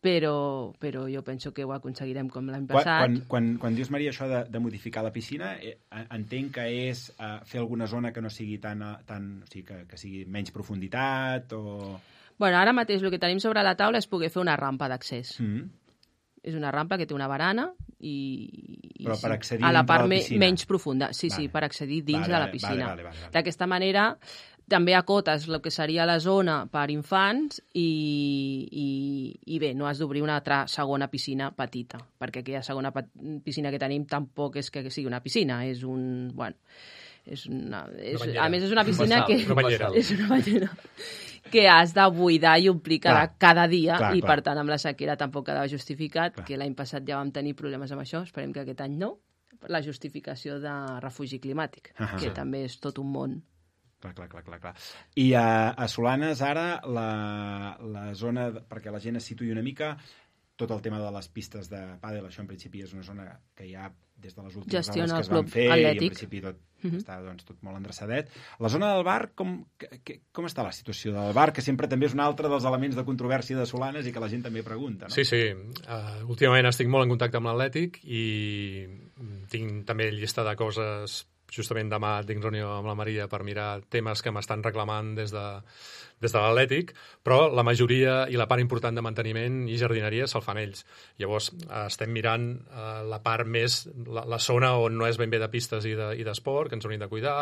però, però jo penso que ho aconseguirem com l'any passat. Quan, quan, quan dius, Maria, això de, de modificar la piscina, eh, entenc que és eh, fer alguna zona que no sigui tan... tan o sigui, que, que sigui menys profunditat o... Bueno, ara mateix el que tenim sobre la taula és poder fer una rampa d'accés. Mm. És una rampa que té una barana i, i però per accedir a la part la me, piscina. menys profunda. Sí, vale. sí, per accedir dins vale, de la piscina. Vale, vale, vale, vale. D'aquesta manera també acotes el que seria la zona per infants i, i, i bé, no has d'obrir una altra segona piscina petita, perquè aquella segona piscina que tenim tampoc és que sigui una piscina, és un... Bueno, és una, és, una a més és una piscina un que... Una banyera. És una banyera que has de buidar i omplir cada, Clar. cada dia Clar, i clar. per tant amb la sequera tampoc quedava justificat, Clar. que l'any passat ja vam tenir problemes amb això, esperem que aquest any no, la justificació de refugi climàtic, Ah, que sí. també és tot un món. Clar, clar, clar, clar, clar. I a, a Solanes, ara, la, la zona... de- perquè la gent es situï una mica, tot el tema de les pistes de pàdel, això en principi és una zona que ja des de les últimes Gestiona obres que el es van club fer i en atlètic. principi tot Mhm. està doncs, tot molt endreçadet. La zona del bar, com, que, que, com està la situació del bar? Que sempre també és un altre dels elements de controvèrsia de Solanes i que la gent també pregunta, no? Sí, sí. Uh, últimament estic molt en contacte amb l'Atlètic i tinc també llista de coses. Justament demà tinc reunió amb la Maria per mirar temes que m'estan reclamant des de, des de l'Atlètic, però la majoria i la part important de manteniment i jardineria se'l fan ells. Llavors, eh, estem mirant eh, la part més, la, la zona on no és ben bé de pistes i de- i d'esport, que ens hauríem de cuidar.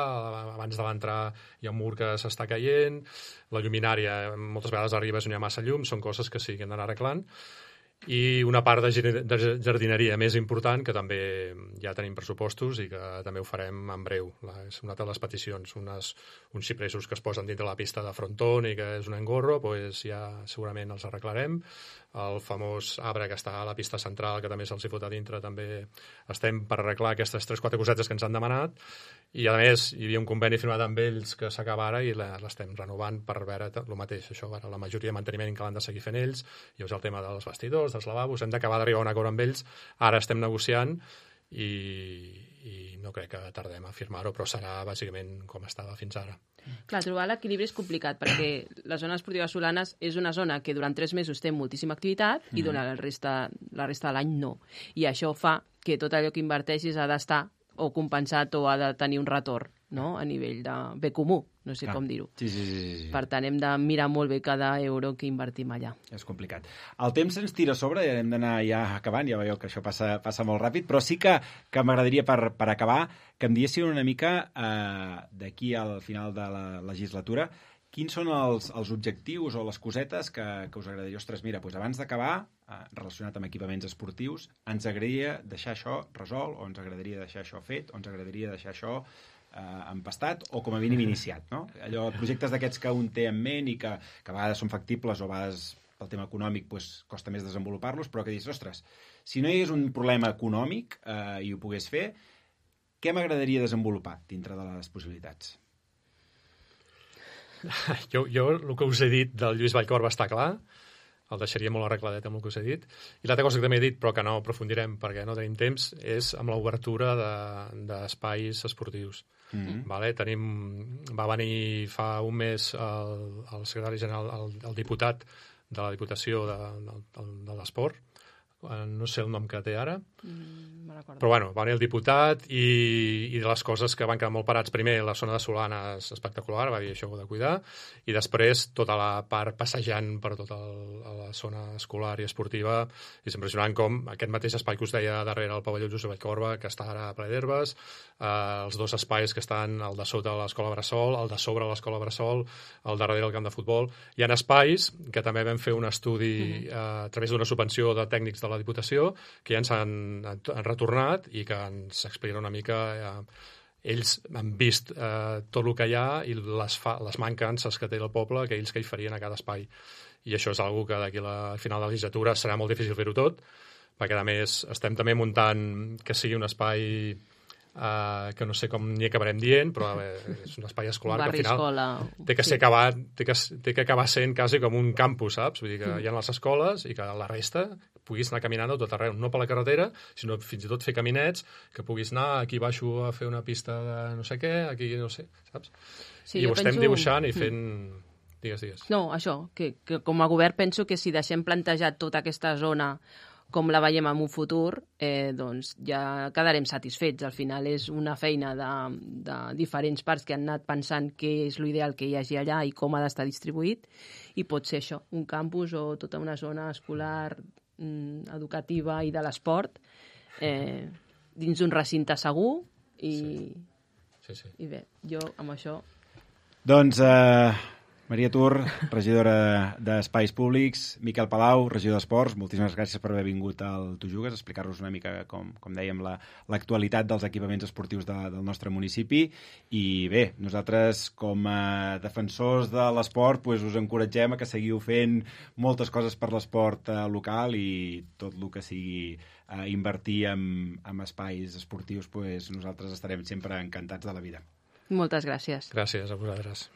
Abans de l'entrar hi ha un mur que s'està caient, la lluminària moltes vegades arriba on hi ha massa llum, són coses que sí que hem d'anar arreglant. I una part de gir- de jardineria més important, que també ja tenim pressupostos i que també ho farem en breu. La, és una altra de les peticions, unes, uns xipresos que es posen dintre la pista de frontón i que és un engorro, doncs ja segurament els arreglarem. El famós arbre que està a la pista central, que també se'ls hi fot a dintre, també estem per arreglar aquestes tres o quatre cosetes que ens han demanat. I, a més, hi havia un conveni firmat amb ells que s'acaba ara i la- l'estem renovant per veure el mateix. Això, ara, la majoria de manteniment que l'han de seguir fent ells. Llavors, el tema dels vestidors, dels lavabos, hem d'acabar d'arribar a un acord amb ells. Ara estem negociant i, i no crec que tardem a firmar-ho, però serà bàsicament com estava fins ara. Clar, trobar l'equilibri és complicat, perquè la zona esportiva de Solanes és una zona que durant tres mesos té moltíssima activitat i durant la resta, la resta de l'any no. I això fa que tot allò que inverteixis ha d'estar o compensat o ha de tenir un retorn, no?, a nivell de bé comú, no sé Clar. com dir-ho. Sí, sí, sí, sí, sí. Per tant, hem de mirar molt bé cada euro que invertim allà. És complicat. El temps ens tira a sobre i hem d'anar ja acabant, ja veieu que això passa, passa molt ràpid, però sí que, que m'agradaria per, per acabar que em diessin una mica eh, d'aquí al final de la legislatura quins són els, els objectius o les cosetes que, que us agradaria? Ostres, mira, doncs abans d'acabar, eh, relacionat amb equipaments esportius, ens agradaria deixar això resolt, o ens agradaria deixar això fet, o ens agradaria deixar això eh, empastat, o com a mínim iniciat, no? Allò, projectes d'aquests que un té en ment i que, que a vegades són factibles o a vegades pel tema econòmic doncs, costa més desenvolupar-los, però que dius, ostres, si no hi hagués un problema econòmic eh, i ho pogués fer, què m'agradaria desenvolupar dintre de les possibilitats? Jo, jo el que us he dit del Lluís Vallcorba està clar, el deixaria molt arregladet amb el que us he dit. I l'altra cosa que també he dit, però que no aprofundirem perquè no tenim temps, és amb l'obertura d'espais de, esportius. Mm-hmm. Vale? Tenim, va venir fa un mes el, el secretari general, el, el diputat de la Diputació de, de, de l'Esport, no sé el nom que té ara, Mm, me recordo. però bueno, va venir el diputat i, i de les coses que van quedar molt parats, primer la zona de Solanes espectacular, va dir això ho he de cuidar, i després tota la part passejant per tota el, la zona escolar i esportiva. És impressionant com aquest mateix espai que us deia darrere el pavelló Josep Vallcorba, que està ara ple d'herbes, eh, els dos espais que estan, el de sota de l'escola Bressol, el de sobre l'escola Bressol, el darrere del camp de futbol. Hi ha espais que també vam fer un estudi eh, a través d'una subvenció de tècnics de la Diputació, que ja ens han, han retornat i que ens expliquen una mica... Eh, ells han vist eh, tot el que hi ha i les, fa, les mancances que té el poble, que ells que hi farien a cada espai. I això és una que d'aquí al final de la legislatura serà molt difícil fer-ho tot, perquè a més estem també muntant que sigui un espai Uh, que no sé com n'hi acabarem dient, però uh, és un espai escolar Barri, que al final escola, té que, sí. ser acabat, té, que, té que acabar sent quasi com un campus, saps? Vull dir que hi ha les escoles i que la resta puguis anar caminant a tot arreu, no per la carretera, sinó fins i tot fer caminets, que puguis anar, aquí baixo a fer una pista de no sé què, aquí no sé, saps? Sí, I jo ho estem penso- dibuixant i fent... Digues, digues. No, això, que, que com a govern penso que si deixem plantejat tota aquesta zona com la veiem en un futur, eh, doncs ja quedarem satisfets. Al final és una feina de, de diferents parts que han anat pensant què és l'ideal que hi hagi allà i com ha d'estar distribuït, i pot ser això, un campus o tota una zona escolar, mm, educativa i de l'esport, eh, dins d'un recinte segur, i, Sí, sí. i bé, jo amb això... Doncs, eh, Maria Tur, regidora d'Espais Públics, Miquel Palau, regidor d'Esports, moltíssimes gràcies per haver vingut al Tu Jugues, a explicar-nos una mica, com, com dèiem, l'actualitat la, dels equipaments esportius de, del nostre municipi. I bé, nosaltres, com a defensors de l'esport, pues, us encoratgem a que seguiu fent moltes coses per l'esport eh, local i tot el que sigui eh, invertir en, en espais esportius, pues, nosaltres estarem sempre encantats de la vida. Moltes gràcies. Gràcies a vosaltres.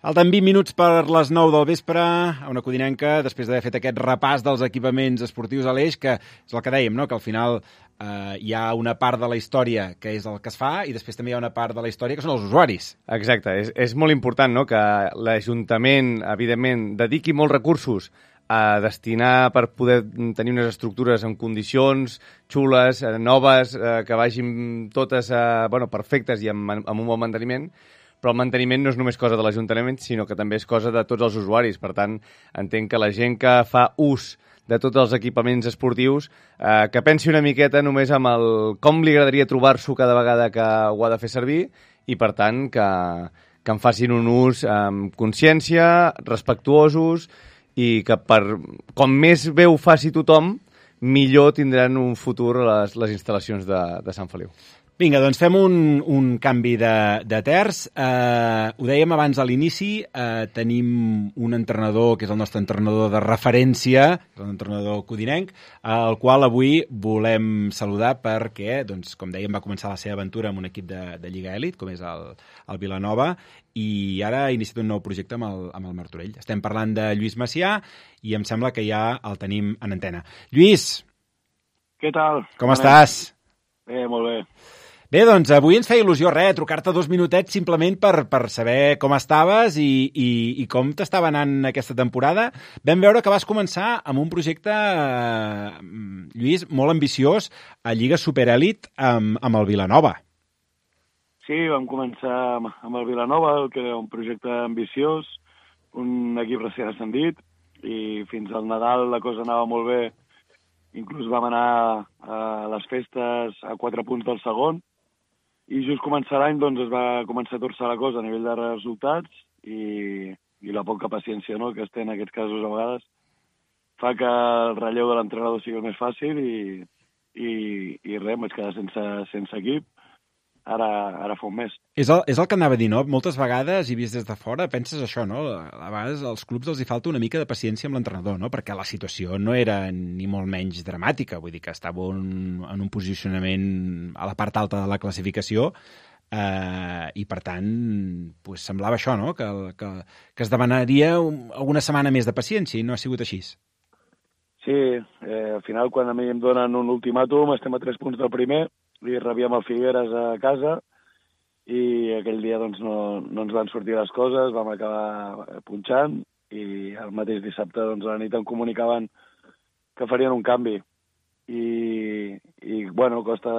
Falten vint minuts per les nou del vespre a una codinenca, després d'haver fet aquest repàs dels equipaments esportius a l'Eix, que és el que dèiem, no? Que al final eh, hi ha una part de la història que és el que es fa i després també hi ha una part de la història que són els usuaris. Exacte, és, és molt important, no?, que l'Ajuntament, evidentment, dediqui molts recursos a destinar per poder tenir unes estructures en condicions xules, eh, noves, eh, que vagin totes eh, bueno, perfectes i amb, amb un bon manteniment, però el manteniment no és només cosa de l'Ajuntament, sinó que també és cosa de tots els usuaris. Per tant, entenc que la gent que fa ús de tots els equipaments esportius, eh, que pensi una miqueta només amb el com li agradaria trobar-s'ho cada vegada que ho ha de fer servir i, per tant, que, que en facin un ús amb consciència, respectuosos i que per, com més bé ho faci tothom, millor tindran un futur les, les instal·lacions de, de Sant Feliu. Vinga, doncs fem un, un canvi de, de terç. Eh, ho dèiem abans a l'inici, eh, tenim un entrenador que és el nostre entrenador de referència, l'entrenador codinenc, al qual avui volem saludar perquè, doncs, com dèiem, va començar la seva aventura amb un equip de, de Lliga Elit, com és el, el Vilanova, i ara ha iniciat un nou projecte amb el, amb el Martorell. Estem parlant de Lluís Macià i em sembla que ja el tenim en antena. Lluís! Què tal? Com estàs? Bé, molt bé. Bé, doncs avui ens feia il·lusió, res, trucar-te dos minutets simplement per, per saber com estaves i, i, i com t'estava anant aquesta temporada. Vam veure que vas començar amb un projecte, eh, Lluís, molt ambiciós a Lliga Superèlit amb, amb el Vilanova. Sí, vam començar amb el Vilanova, que era un projecte ambiciós, un equip recent ascendit, i fins al Nadal la cosa anava molt bé. Inclús vam anar a les festes a quatre punts del segon, i just començar l'any doncs, es va començar a torçar la cosa a nivell de resultats i, i la poca paciència, no?, que es té en aquests casos a vegades fa que el relleu de l'entrenador sigui el més fàcil i, i, i res, em vaig quedar sense, sense equip. Ara, ara fa un mes. És el, és el que anava a dir, no? Moltes vegades, i vist des de fora, penses això, no? A vegades als clubs els hi falta una mica de paciència amb l'entrenador, no? Perquè la situació no era ni molt menys dramàtica, vull dir que estava un, en un posicionament a la part alta de la classificació eh, i, per tant, pues, semblava això, no? Que, que, que es demanaria un, alguna setmana més de paciència i no ha sigut així. Sí, eh, al final, quan a mi em donen un ultimàtum, estem a tres punts del primer, i rebíem el Figueres a casa i aquell dia doncs, no, no ens van sortir les coses, vam acabar punxant i el mateix dissabte doncs, a la nit em comunicaven que farien un canvi i, i bueno, costa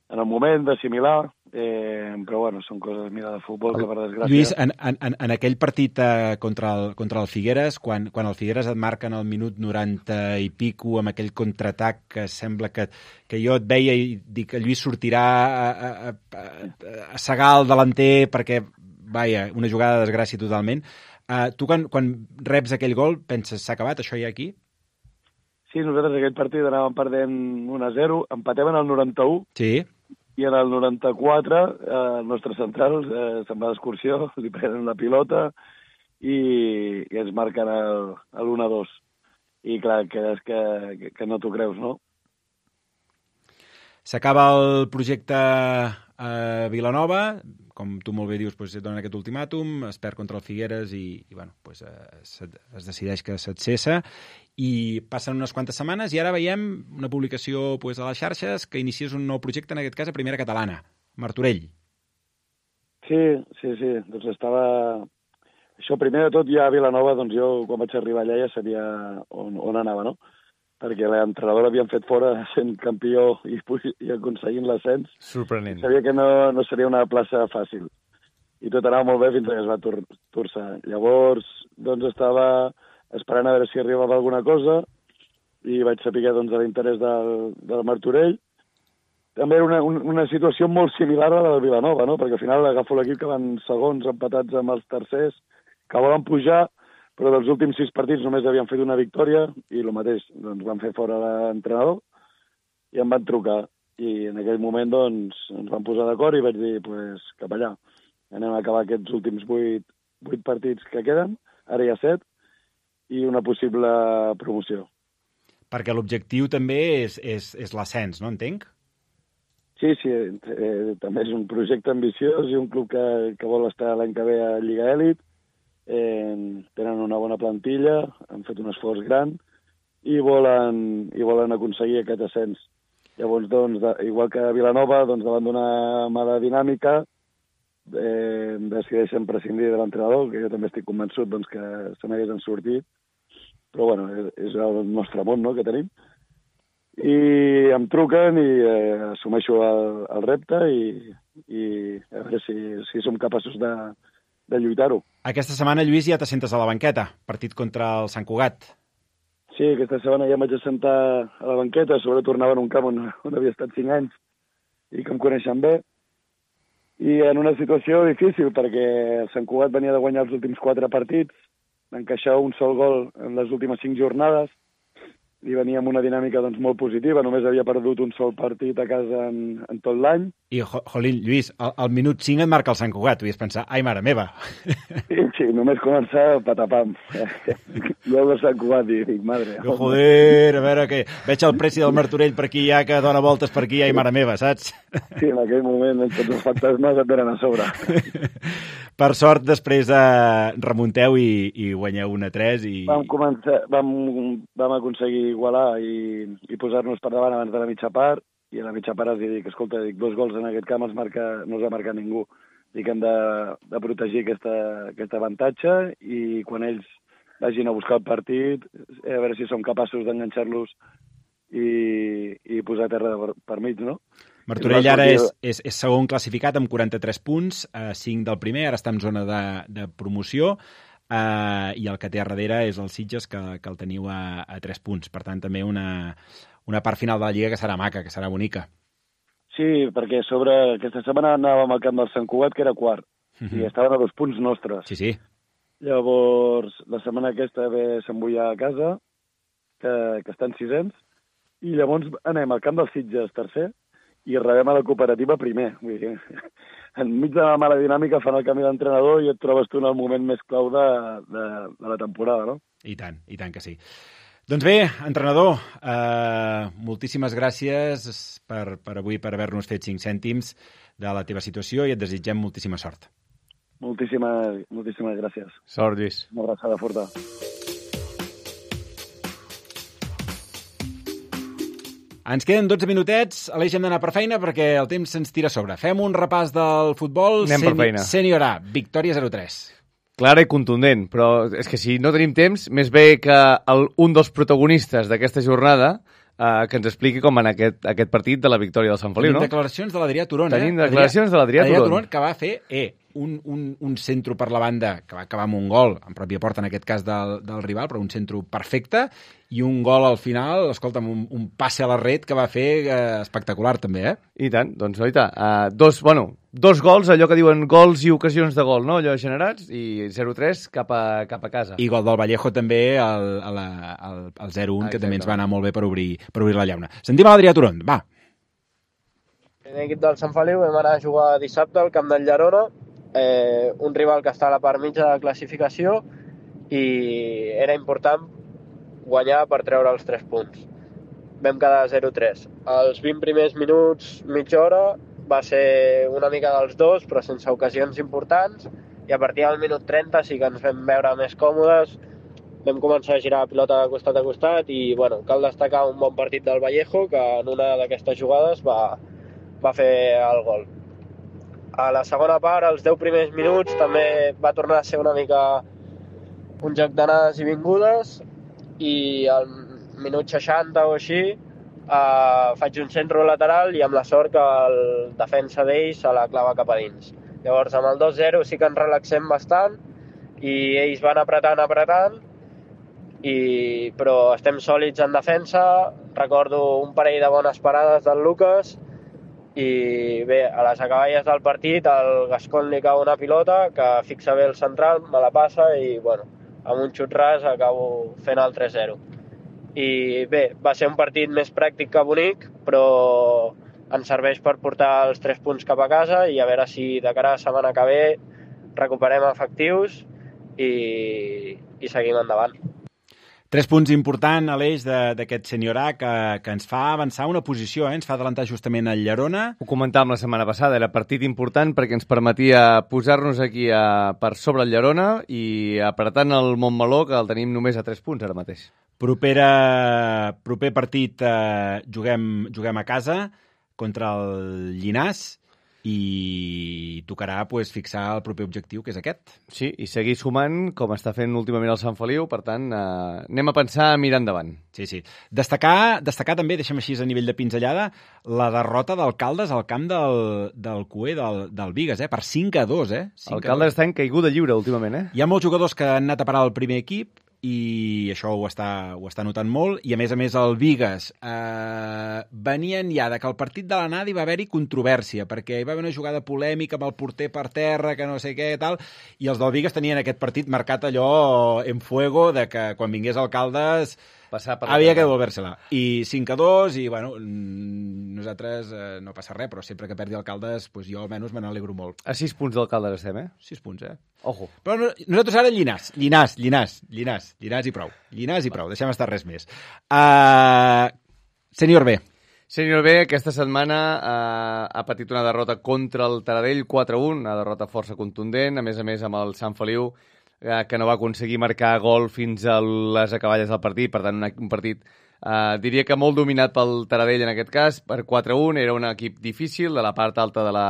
en el moment d'assimilar, eh, però bueno, són coses, mira, de futbol que per desgràcia... Lluís, en, en, en aquell partit eh, contra, el, contra el Figueres, quan, quan el Figueres et marca en el minut noranta i pico amb aquell contraatac que sembla que, que jo et veia i dic que Lluís sortirà a, a, a, a segar el delanter perquè, vaja, una jugada de desgràcia totalment. Uh, tu quan, quan reps aquell gol penses, s'ha acabat això ja aquí? Sí, nosaltres aquell partit anàvem perdent un a zero, empatem en el noranta-u, sí. i en el noranta-quatre eh, el nostre central eh, se'n va d'excursió, li prenen la pilota i, i ens marquen l'u a dos. I clar, que és que, que no t'ho creus, no? S'acaba el projecte a Vilanova, com tu molt bé dius, doncs, et donen aquest ultimàtum, es perd contra el Figueres i, i bueno, doncs, es, es decideix que se't cessa i passen unes quantes setmanes i ara veiem una publicació doncs, a les xarxes que inicies un nou projecte, en aquest cas a Primera Catalana, Martorell. Sí, sí, sí, doncs estava... Això, primer de tot, ja a Vilanova, doncs jo, quan vaig arribar allà, ja sabia on, on anava, no? Perquè l'entrenador l'havien fet fora sent campió i, i aconseguint l'ascens. Sorprenent. Sabia que no, no seria una plaça fàcil. I tot anava molt bé fins que es va tor torçar. Llavors, doncs, estava esperant a veure si arribava alguna cosa i vaig saber doncs, de l'interès del, del Martorell. També era una, una situació molt similar a la del Vilanova, no? Perquè al final agafo l'equip que van segons empatats amb els tercers, que volen pujar, però dels últims sis partits només havien fet una victòria i el mateix, doncs van fer fora l'entrenador i em van trucar. I en aquell moment doncs, ens van posar d'acord i vaig dir, pues, cap allà. Anem a acabar aquests últims vuit, vuit partits que queden, ara hi ha set, i una possible promoció. Perquè l'objectiu també és, és, és l'ascens, no entenc? Sí, sí, eh, també és un projecte ambiciós i un club que, que vol estar l'any que ve a Lliga Elit. Eh, tenen una bona plantilla, han fet un esforç gran i volen, i volen aconseguir aquest ascens. Llavors, doncs, de, igual que a Vilanova, doncs, davant d'una mala dinàmica, eh, decideixen prescindir de l'entrenador, que jo també estic convençut doncs, que se n'haguessin sortit, però bueno, és, és el nostre món, no?, que tenim. I em truquen i eh, assumeixo el, el repte i, i a veure si, si som capaços de de lluitar-ho. Aquesta setmana, Lluís, ja t'assentes a la banqueta, partit contra el Sant Cugat. Sí, aquesta setmana ja em vaig assentar a la banqueta, sobre tornava en un camp on, on havia estat cinc anys i que em coneixen bé, i en una situació difícil, perquè el Sant Cugat venia de guanyar els últims quatre partits, d'encaixar un sol gol en les últimes cinc jornades, i venia amb una dinàmica doncs, molt positiva, només havia perdut un sol partit a casa en, en tot l'any. I, jo, jolín, Lluís, al, al minut cinc et marca el Sant Cugat, tu ies pensar, ai, mare meva. Sí, sí, només començar patapam. Jo el Sant Cugat i dic, madre. Jo, joder, a veure, que veig el preci del Martorell per aquí ja, que dona voltes per aquí, ai, mare meva, saps? Sí, en aquell moment tots els fantasmes et venen a sobre. Per sort, després eh, remunteu i, i guanyeu un a tres. I... Vam, començar, vam, vam aconseguir igualar i, i posar-nos per davant abans de la mitja part, i a la mitja part els dic, escolta, dic, dos gols en aquest camp els marca, no els ha marcat ningú. Dic, hem de, de protegir aquesta, aquest avantatge i quan ells vagin a buscar el partit, a veure si som capaços d'enganxar-los i, i posar terra per, per mig, no? Martorell ara és, és, és segon classificat amb quaranta-tres punts, eh, cinc del primer, ara està en zona de, de promoció, eh, i el que té a darrere és el Sitges, que, que el teniu a, a tres punts. Per tant, també una, una part final de la Lliga que serà maca, que serà bonica. Sí, perquè sobre aquesta setmana anàvem al camp del Sant Cugat, que era quart, uh-huh. i estaven a dos punts nostres. Sí, sí. Llavors, la setmana aquesta ve Sant Boià a casa, que, que estan sisens, i llavors anem al camp del Sitges tercer, i rebem a la cooperativa primer. Vull dir, enmig de la mala dinàmica fan el canvi d'entrenador i et trobes tu en el moment més clau de, de, de la temporada, no? I tant, i tant que sí. Doncs bé, entrenador, eh, moltíssimes gràcies per, per avui, per haver-nos fet cinc cèntims de la teva situació i et desitgem moltíssima sort. Moltíssimes, moltíssimes gràcies. Sort, Lluís. Una abraçada forta. Ens queden dotze minutets, Aleix, hem d'anar per feina perquè el temps se'ns tira a sobre. Fem un repàs del futbol. Anem per feina. Sènior A, victòria zero tres. Clara i contundent, però és que si no tenim temps, més bé que el, un dels protagonistes d'aquesta jornada eh, que ens expliqui com va anar aquest, aquest partit de la victòria del Sant Feliu, Tenim no? declaracions de l'Adrià Turon, Tenim eh? declaracions de l'Adrià Turon. Turon, que va fer eh, un, un, un centro per la banda, que va acabar amb un gol, en pròpia porta en aquest cas del, del rival, però un centro perfecte, i un gol al final, escolta'm, un, un passe a la red que va fer eh, espectacular també, eh? I tant, doncs, oita, uh, dos, bueno, dos gols, allò que diuen gols i ocasions de gol, no?, allò generats, i zero tres cap a, cap a casa. I gol del Vallejo també, el, el, el, el zero un, ah, que també ens va anar molt bé per obrir, per obrir la llauna. Sentim a l'Adrià Turon, va. primer equip del Sant Feliu vam anar a jugar dissabte al camp del Llerona, eh, un rival que està a la part mitja de la classificació, i era important guanyar per treure els tres punts. Vam quedar zero tres. Els vint primers minuts, mitja hora, va ser una mica dels dos, però sense ocasions importants, i a partir del minut trenta sí que ens vam veure més còmodes, vam començar a girar la pilota de costat a costat i, bueno, cal destacar un bon partit del Vallejo, que en una d'aquestes jugades va, va fer el gol. A la segona part, als deu primers minuts, també va tornar a ser una mica un joc d'anades i vingudes, i al minut seixanta o així eh, faig un centre lateral i amb la sort que el defensa d'ells se la clava cap a dins. Llavors, amb el dos zero sí que ens relaxem bastant i ells van apretant, apretant, i, però estem sòlids en defensa. Recordo un parell de bones parades del Lucas i bé, a les acaballes del partit al Gascon li cau una pilota que fixa bé el central, me la passa i bueno, amb un xut ras acabo fent el tres zero. I bé, va ser un partit més pràctic que bonic, però ens serveix per portar els tres punts cap a casa i a veure si de cara a la setmana que ve recuperem efectius i, i seguim endavant. Tres punts important, Aleix, d'aquest senior A que, que ens fa avançar una posició, eh? Ens fa adelantar justament el Llerona. Ho comentàvem la setmana passada, era partit important perquè ens permetia posar-nos aquí a, per sobre el Llerona i apretant el Montmeló, que el tenim només a tres punts ara mateix. Propera, proper partit eh, juguem, juguem a casa contra el Llinàs i tocarà pues, fixar el proper objectiu, que és aquest. Sí, i seguir sumant, com està fent últimament el Sant Feliu, per tant, eh, anem a pensar a mirar endavant. Sí, sí. Destacar, destacar també, deixem així a nivell de pinzellada, la derrota d'Alcaldes al camp del, del Cué, del, del Bigues, eh? Per cinc a dos, eh? Alcaldes està en caiguda lliure últimament, eh? Hi ha molts jugadors que han anat a parar al primer equip i això ho està, ho està notant molt, i a més a més el Bigues eh, venien ja de que el partit de l'anada hi va haver-hi controvèrsia, perquè hi va haver una jugada polèmica amb el porter per terra, que no sé què i tal, i els del Bigues tenien aquest partit marcat allò en fuego, de que quan vingués Alcaldes passar per havia que devolver-se-la. I cinc a dos, i bueno, nosaltres eh, no passa res, però sempre que perdi Alcaldes, pues jo almenys me n'alegro molt. A sis punts d'Alcaldes estem, eh? Sis punts, eh? Ojo. Però no, nosaltres ara Llinàs, Llinàs, Llinàs, Llinàs, Llinàs i prou. Llinàs i prou, deixem estar res més. Uh, Sènior B. Sènior B, aquesta setmana uh, ha patit una derrota contra el Taradell, quatre a un, una derrota força contundent, a més a més amb el Sant Feliu, que no va aconseguir marcar gol fins a les acaballes del partit, per tant un partit eh, diria que molt dominat pel Taradell en aquest cas, per quatre a un, era un equip difícil de la part alta de la,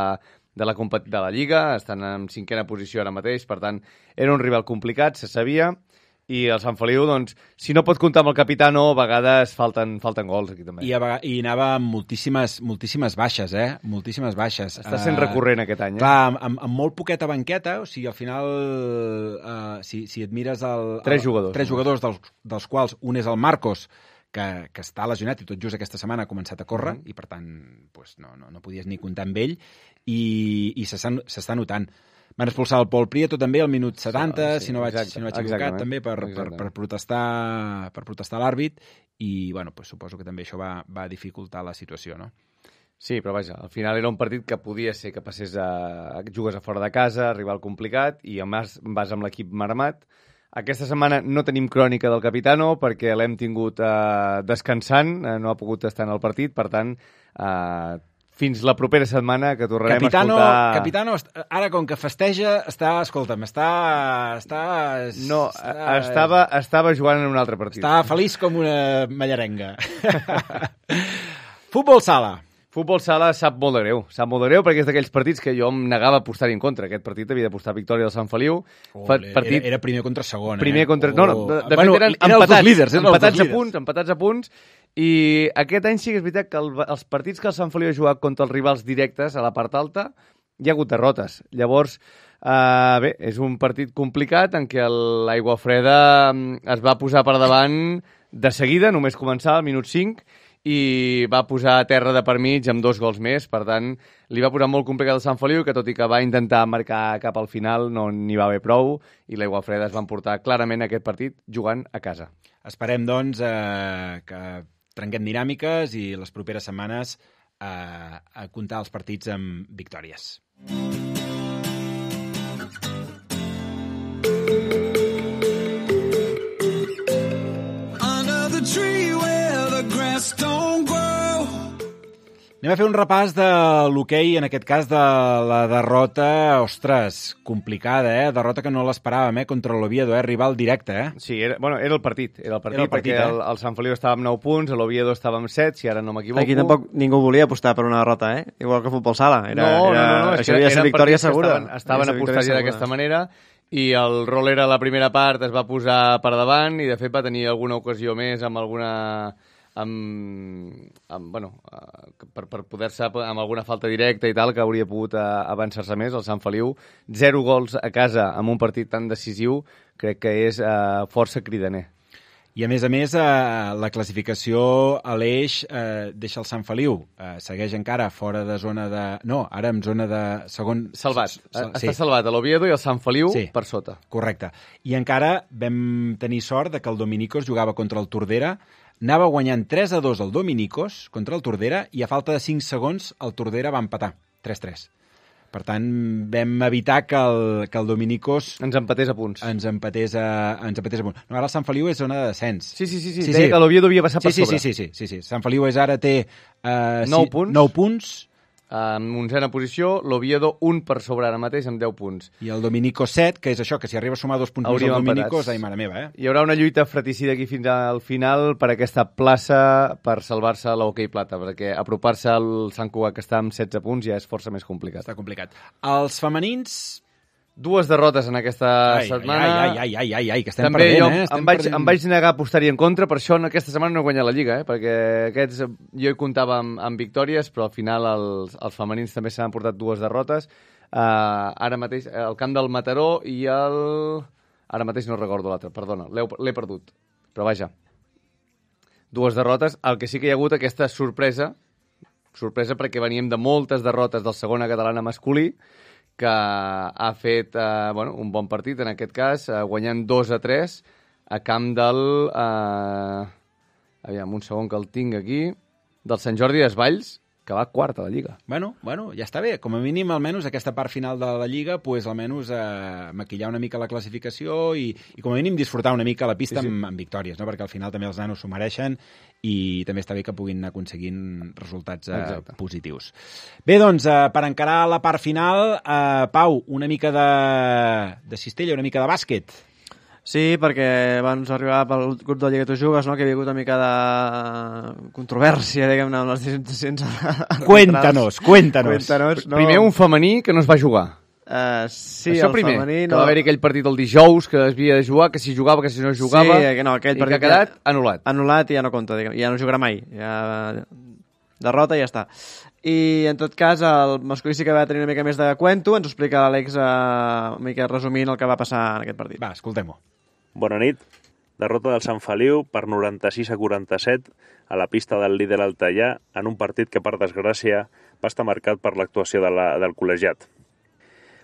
de la, de la Lliga, estan en cinquena posició ara mateix, per tant era un rival complicat, se sabia, i el Sant Feliu, doncs, si no pot comptar amb el Capitano, a vegades falten, falten gols aquí també. I, a, i anava amb moltíssimes, moltíssimes baixes, eh? Moltíssimes baixes. Està sent uh, recurrent aquest any, eh? Clar, amb, amb, amb molt poqueta banqueta, o sigui, al final, uh, si, si et mires el... Tres jugadors. El, tres jugadors, dels, dels quals un és el Marcos, que, que està lesionat i tot just aquesta setmana ha començat a córrer, mm. i per tant, pues, no, no, no podies ni comptar amb ell, i, i s'està notant. Van expulsar el Pol Prieto també al minut setanta, sí, sí, si no vaig, exacte, si no vaig equivocat, també per, per, per protestar, per protestar l'àrbit, i bueno, pues, suposo que també això va, va dificultar la situació, no? Sí, però vaja, al final era un partit que podia ser que passés a... jugues a fora de casa, rival complicat, i a més vas amb l'equip marmat. Aquesta setmana no tenim crònica del Capitano perquè l'hem tingut eh, descansant, eh, no ha pogut estar en el partit, per tant... Eh, fins la propera setmana que tornarem Capitano, a escoltar... Capitano, ara com que festeja, està, escolta'm, està... està no, està, estava, estava jugant en un altre partit. Està feliç com una mallarenga. Futbol sala. Futbol sala sap molt de greu. Sap molt de greu perquè és d'aquells partits que jo em negava a apostar-hi en contra. Aquest partit havia d'apostar victòria del Sant Feliu. Olé, partit... era, era primer contra segon, primer eh? contra... No, no, de, de bueno, fet eren eren empatats, líders, empatats a punts, empatats a punts. I aquest any sí que és veritat que el, els partits que el Sant Feliu ha jugat contra els rivals directes a la part alta hi ha hagut derrotes. Llavors, eh, bé, és un partit complicat en què l'Aigua Freda es va posar per davant de seguida, només començar al minut cinc, i va posar a terra de per mig amb dos gols més. Per tant, li va posar molt complicat el Sant Feliu, que tot i que va intentar marcar cap al final, no n'hi va haver prou, i l'Aigua Freda es van portar clarament aquest partit jugant a casa. Esperem, doncs, eh, que trenquem dinàmiques i les properes setmanes a, a comptar els partits amb victòries. Under the tree where the grass don't grow. Anem a fer un repàs de l'hoquei, en aquest cas de la derrota, ostres, complicada, eh? Derrota que no l'esperàvem, eh? Contra l'Oviedo, eh? Rival directe, eh? Sí, era, bueno, era el partit, era el partit, era el partit perquè eh? el, el Sant Feliu estava amb nou punts, l'Oviedo estava amb set, si ara no m'equivoco. Aquí tampoc ningú volia apostar per una derrota, eh? Igual que futbol sala. Era, no, era, no, no, no, això havia de ser victòria segura. Estaven, estaven apostant d'aquesta manera, i el Roller a la primera part es va posar per davant, i de fet va tenir alguna ocasió més amb alguna... amb, amb bueno, per, per poder-se amb alguna falta directa i tal, que hauria pogut avançar-se més, el Sant Feliu. Zero gols a casa amb un partit tan decisiu, crec que és eh, força cridaner. I a més a més, eh, la classificació a l'eix eh, deixa el Sant Feliu. Eh, segueix encara fora de zona de... No, ara en zona de segon... Salvat. Sal... Està sí. salvat a l'Oviedo i el Sant Feliu sí. per sota. Correcte. I encara vam tenir sort de que el Dominicos jugava contra el Tordera, anava guanyant tres a dos el Dominicos contra el Tordera i a falta de cinc segons el Tordera va empatar, tres tres. Per tant, vam evitar que el, que el Dominicos... Ens empatés a punts. Ens empatés a, ens empatés a punts. No, ara el Sant Feliu és zona de descens. Sí, sí, sí. sí. sí Deia sí. que l'Oviedo havia passat sí, per sí, sobre. Sí, sí, sí, sí, sí. Sant Feliu és ara té... Uh, nou sí, punts. nou punts. En onzena posició, l'Oviedo un per sobre ara mateix amb deu punts. I el Dominicos set, que és això, que si arriba a sumar dos punts Hauríem més al Dominicos, ai, mare meva, eh? Hi haurà una lluita fratricida aquí fins al final per aquesta plaça per salvar-se l'Hockey Plata, perquè apropar-se al Sant Cugat, que està amb setze punts, ja és força més complicat. Està complicat. Els femenins... Dues derrotes en aquesta ai, setmana. Ai, ai, ai, ai, ai, ai, que estem També perdent, jo eh? Estem em, vaig, perdent... em vaig negar a apostar-hi en contra, per això en aquesta setmana no he guanyat la Lliga, eh? Perquè aquests jo hi comptava amb, amb victòries, però al final els, els femenins també s'han portat dues derrotes. Uh, ara mateix, el camp del Mataró i el... Ara mateix no recordo l'altre, perdona, l'he perdut. Però vaja, dues derrotes. El que sí que hi ha hagut aquesta sorpresa, sorpresa perquè veníem de moltes derrotes del segona catalana masculí, que ha fet eh, bueno, un bon partit, en aquest cas, eh, guanyant dos a tres a camp del... Eh, aviam, un segon que el tinc aquí, del Sant Jordi Desvalls, que va quart a la Lliga. Bueno, bueno, ja està bé. Com a mínim, almenys, aquesta part final de la Lliga, pues, almenys eh, maquillar una mica la classificació i, i com a mínim, disfrutar una mica la pista sí, sí. Amb, amb victòries, no? Perquè al final també els nanos s'ho mereixen i també està bé que puguin anar aconseguint resultats eh, positius. Bé, doncs, eh, per encarar la part final, eh, Pau, una mica de, de cistella, una mica de bàsquet. Sí, perquè abans arribava pel grup de Lliga Tu Jugues, no? Que hi havia hagut una mica de controvèrsia, diguem-ne, amb les decisions... Cuéntanos, cuéntanos. cuéntanos no. Primer un femení que no es va jugar. Uh, sí, Això el primer, femení... que no... va haver aquell partit el dijous, que es havia de jugar, que si jugava, que si no jugava, sí, que no, aquell i partit que ha quedat anul·lat. Anul·lat i ja no compta, diguem, ja no jugarà mai. Ja... Derrota i ja està. I, en tot cas, el masculí sí que va tenir una mica més de cuento. Ens ho explica l'Àlex uh, una mica resumint el que va passar en aquest partit. Va, escoltem-ho. Bona nit. Derrota del Sant Feliu per noranta-sis a quaranta-set a la pista del líder Altaià en un partit que, per desgràcia, va estar marcat per l'actuació de la, del col·legiat.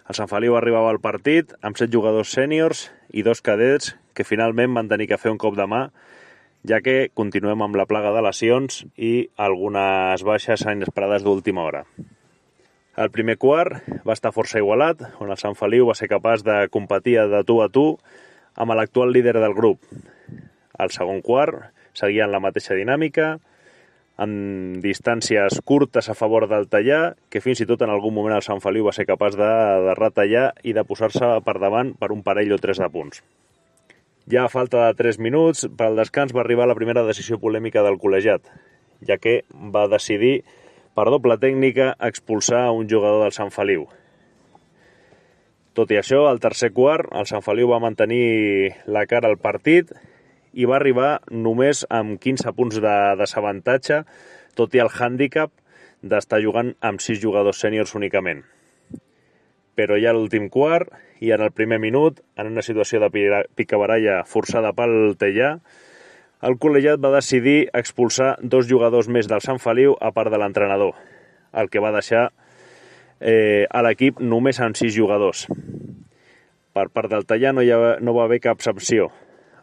El Sant Feliu arribava al partit amb set jugadors sèniors i dos cadets que finalment van tenir que fer un cop de mà, ja que continuem amb la plaga de lesions i algunes baixes inesperades d'última hora. El primer quart va estar força igualat, on el Sant Feliu va ser capaç de competir de tu a tu amb l'actual líder del grup. El segon quart seguia en la mateixa dinàmica, amb distàncies curtes a favor del Tallà, que fins i tot en algun moment el Sant Feliu va ser capaç de, de retallar i de posar-se per davant per un parell o tres de punts. Ja a falta de tres minuts, per al descans va arribar la primera decisió polèmica del col·legiat, ja que va decidir, per doble tècnica, expulsar un jugador del Sant Feliu. Tot i això, al tercer quart, el Sant Feliu va mantenir la cara al partit i va arribar només amb quinze punts de desavantatge, tot i el hàndicap d'estar jugant amb sis jugadors sèniors únicament. Però ja a l'últim quart, i en el primer minut, en una situació de picabaralla forçada pel Tellà, el col·legiat va decidir expulsar dos jugadors més del Sant Feliu a part de l'entrenador, el que va deixar eh, a l'equip només amb sis jugadors. Per part del Tallà no, hi ha, no va haver cap sanció.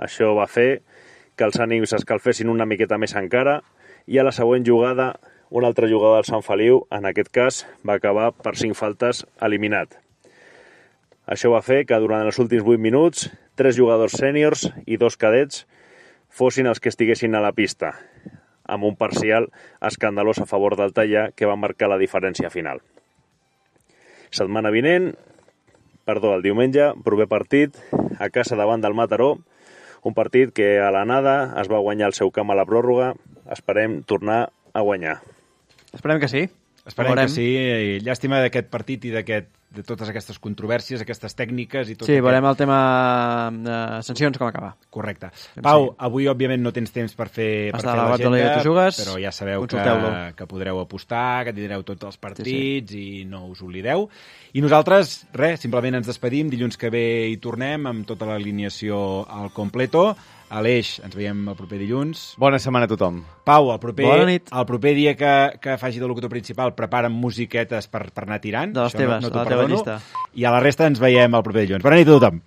Això va fer que els ànims s'escalfessin una miqueta més encara i a la següent jugada un altre jugador del Sant Feliu, en aquest cas, va acabar per cinc faltes eliminat. Això va fer que durant els últims vuit minuts, tres jugadors sèniors i dos cadets fossin els que estiguessin a la pista, amb un parcial escandalós a favor del Teià que va marcar la diferència final. Setmana vinent, perdó, el diumenge, proper partit, a casa davant del Mataró, un partit que a l'anada es va guanyar el seu camp a la pròrroga. Esperem tornar a guanyar. Esperem que sí. Esperem que sí. I llàstima d'aquest partit i d'aquest de totes aquestes controvèrsies, aquestes tècniques i tot sí, aquest... veurem el tema de sancions com acaba. Correcte. Pau, sí. Avui òbviament no tens temps per fer, per fer l'agenda, però ja sabeu que, que podreu apostar, que tindreu tots els partits sí, sí. i no us oblideu. I nosaltres, res, simplement ens despedim. Dilluns que ve hi tornem amb tota l'alineació al completo. Aleix, ens veiem el proper dilluns. Bona setmana a tothom. Pau, el proper, el proper dia que, que faci de locutor principal prepara'm musiquetes per, per anar tirant. De les teves, no, no de la teva llista. I a la resta ens veiem el proper dilluns. Bona nit a tothom.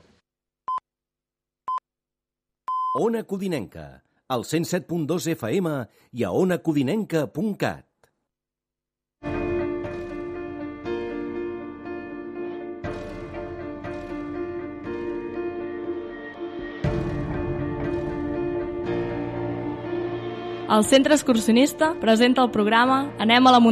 Ona Codinenca, al cent set punt dos F M i a ona codinenca punt cat. El Centre Excursionista presenta el programa Anem a la muntanya.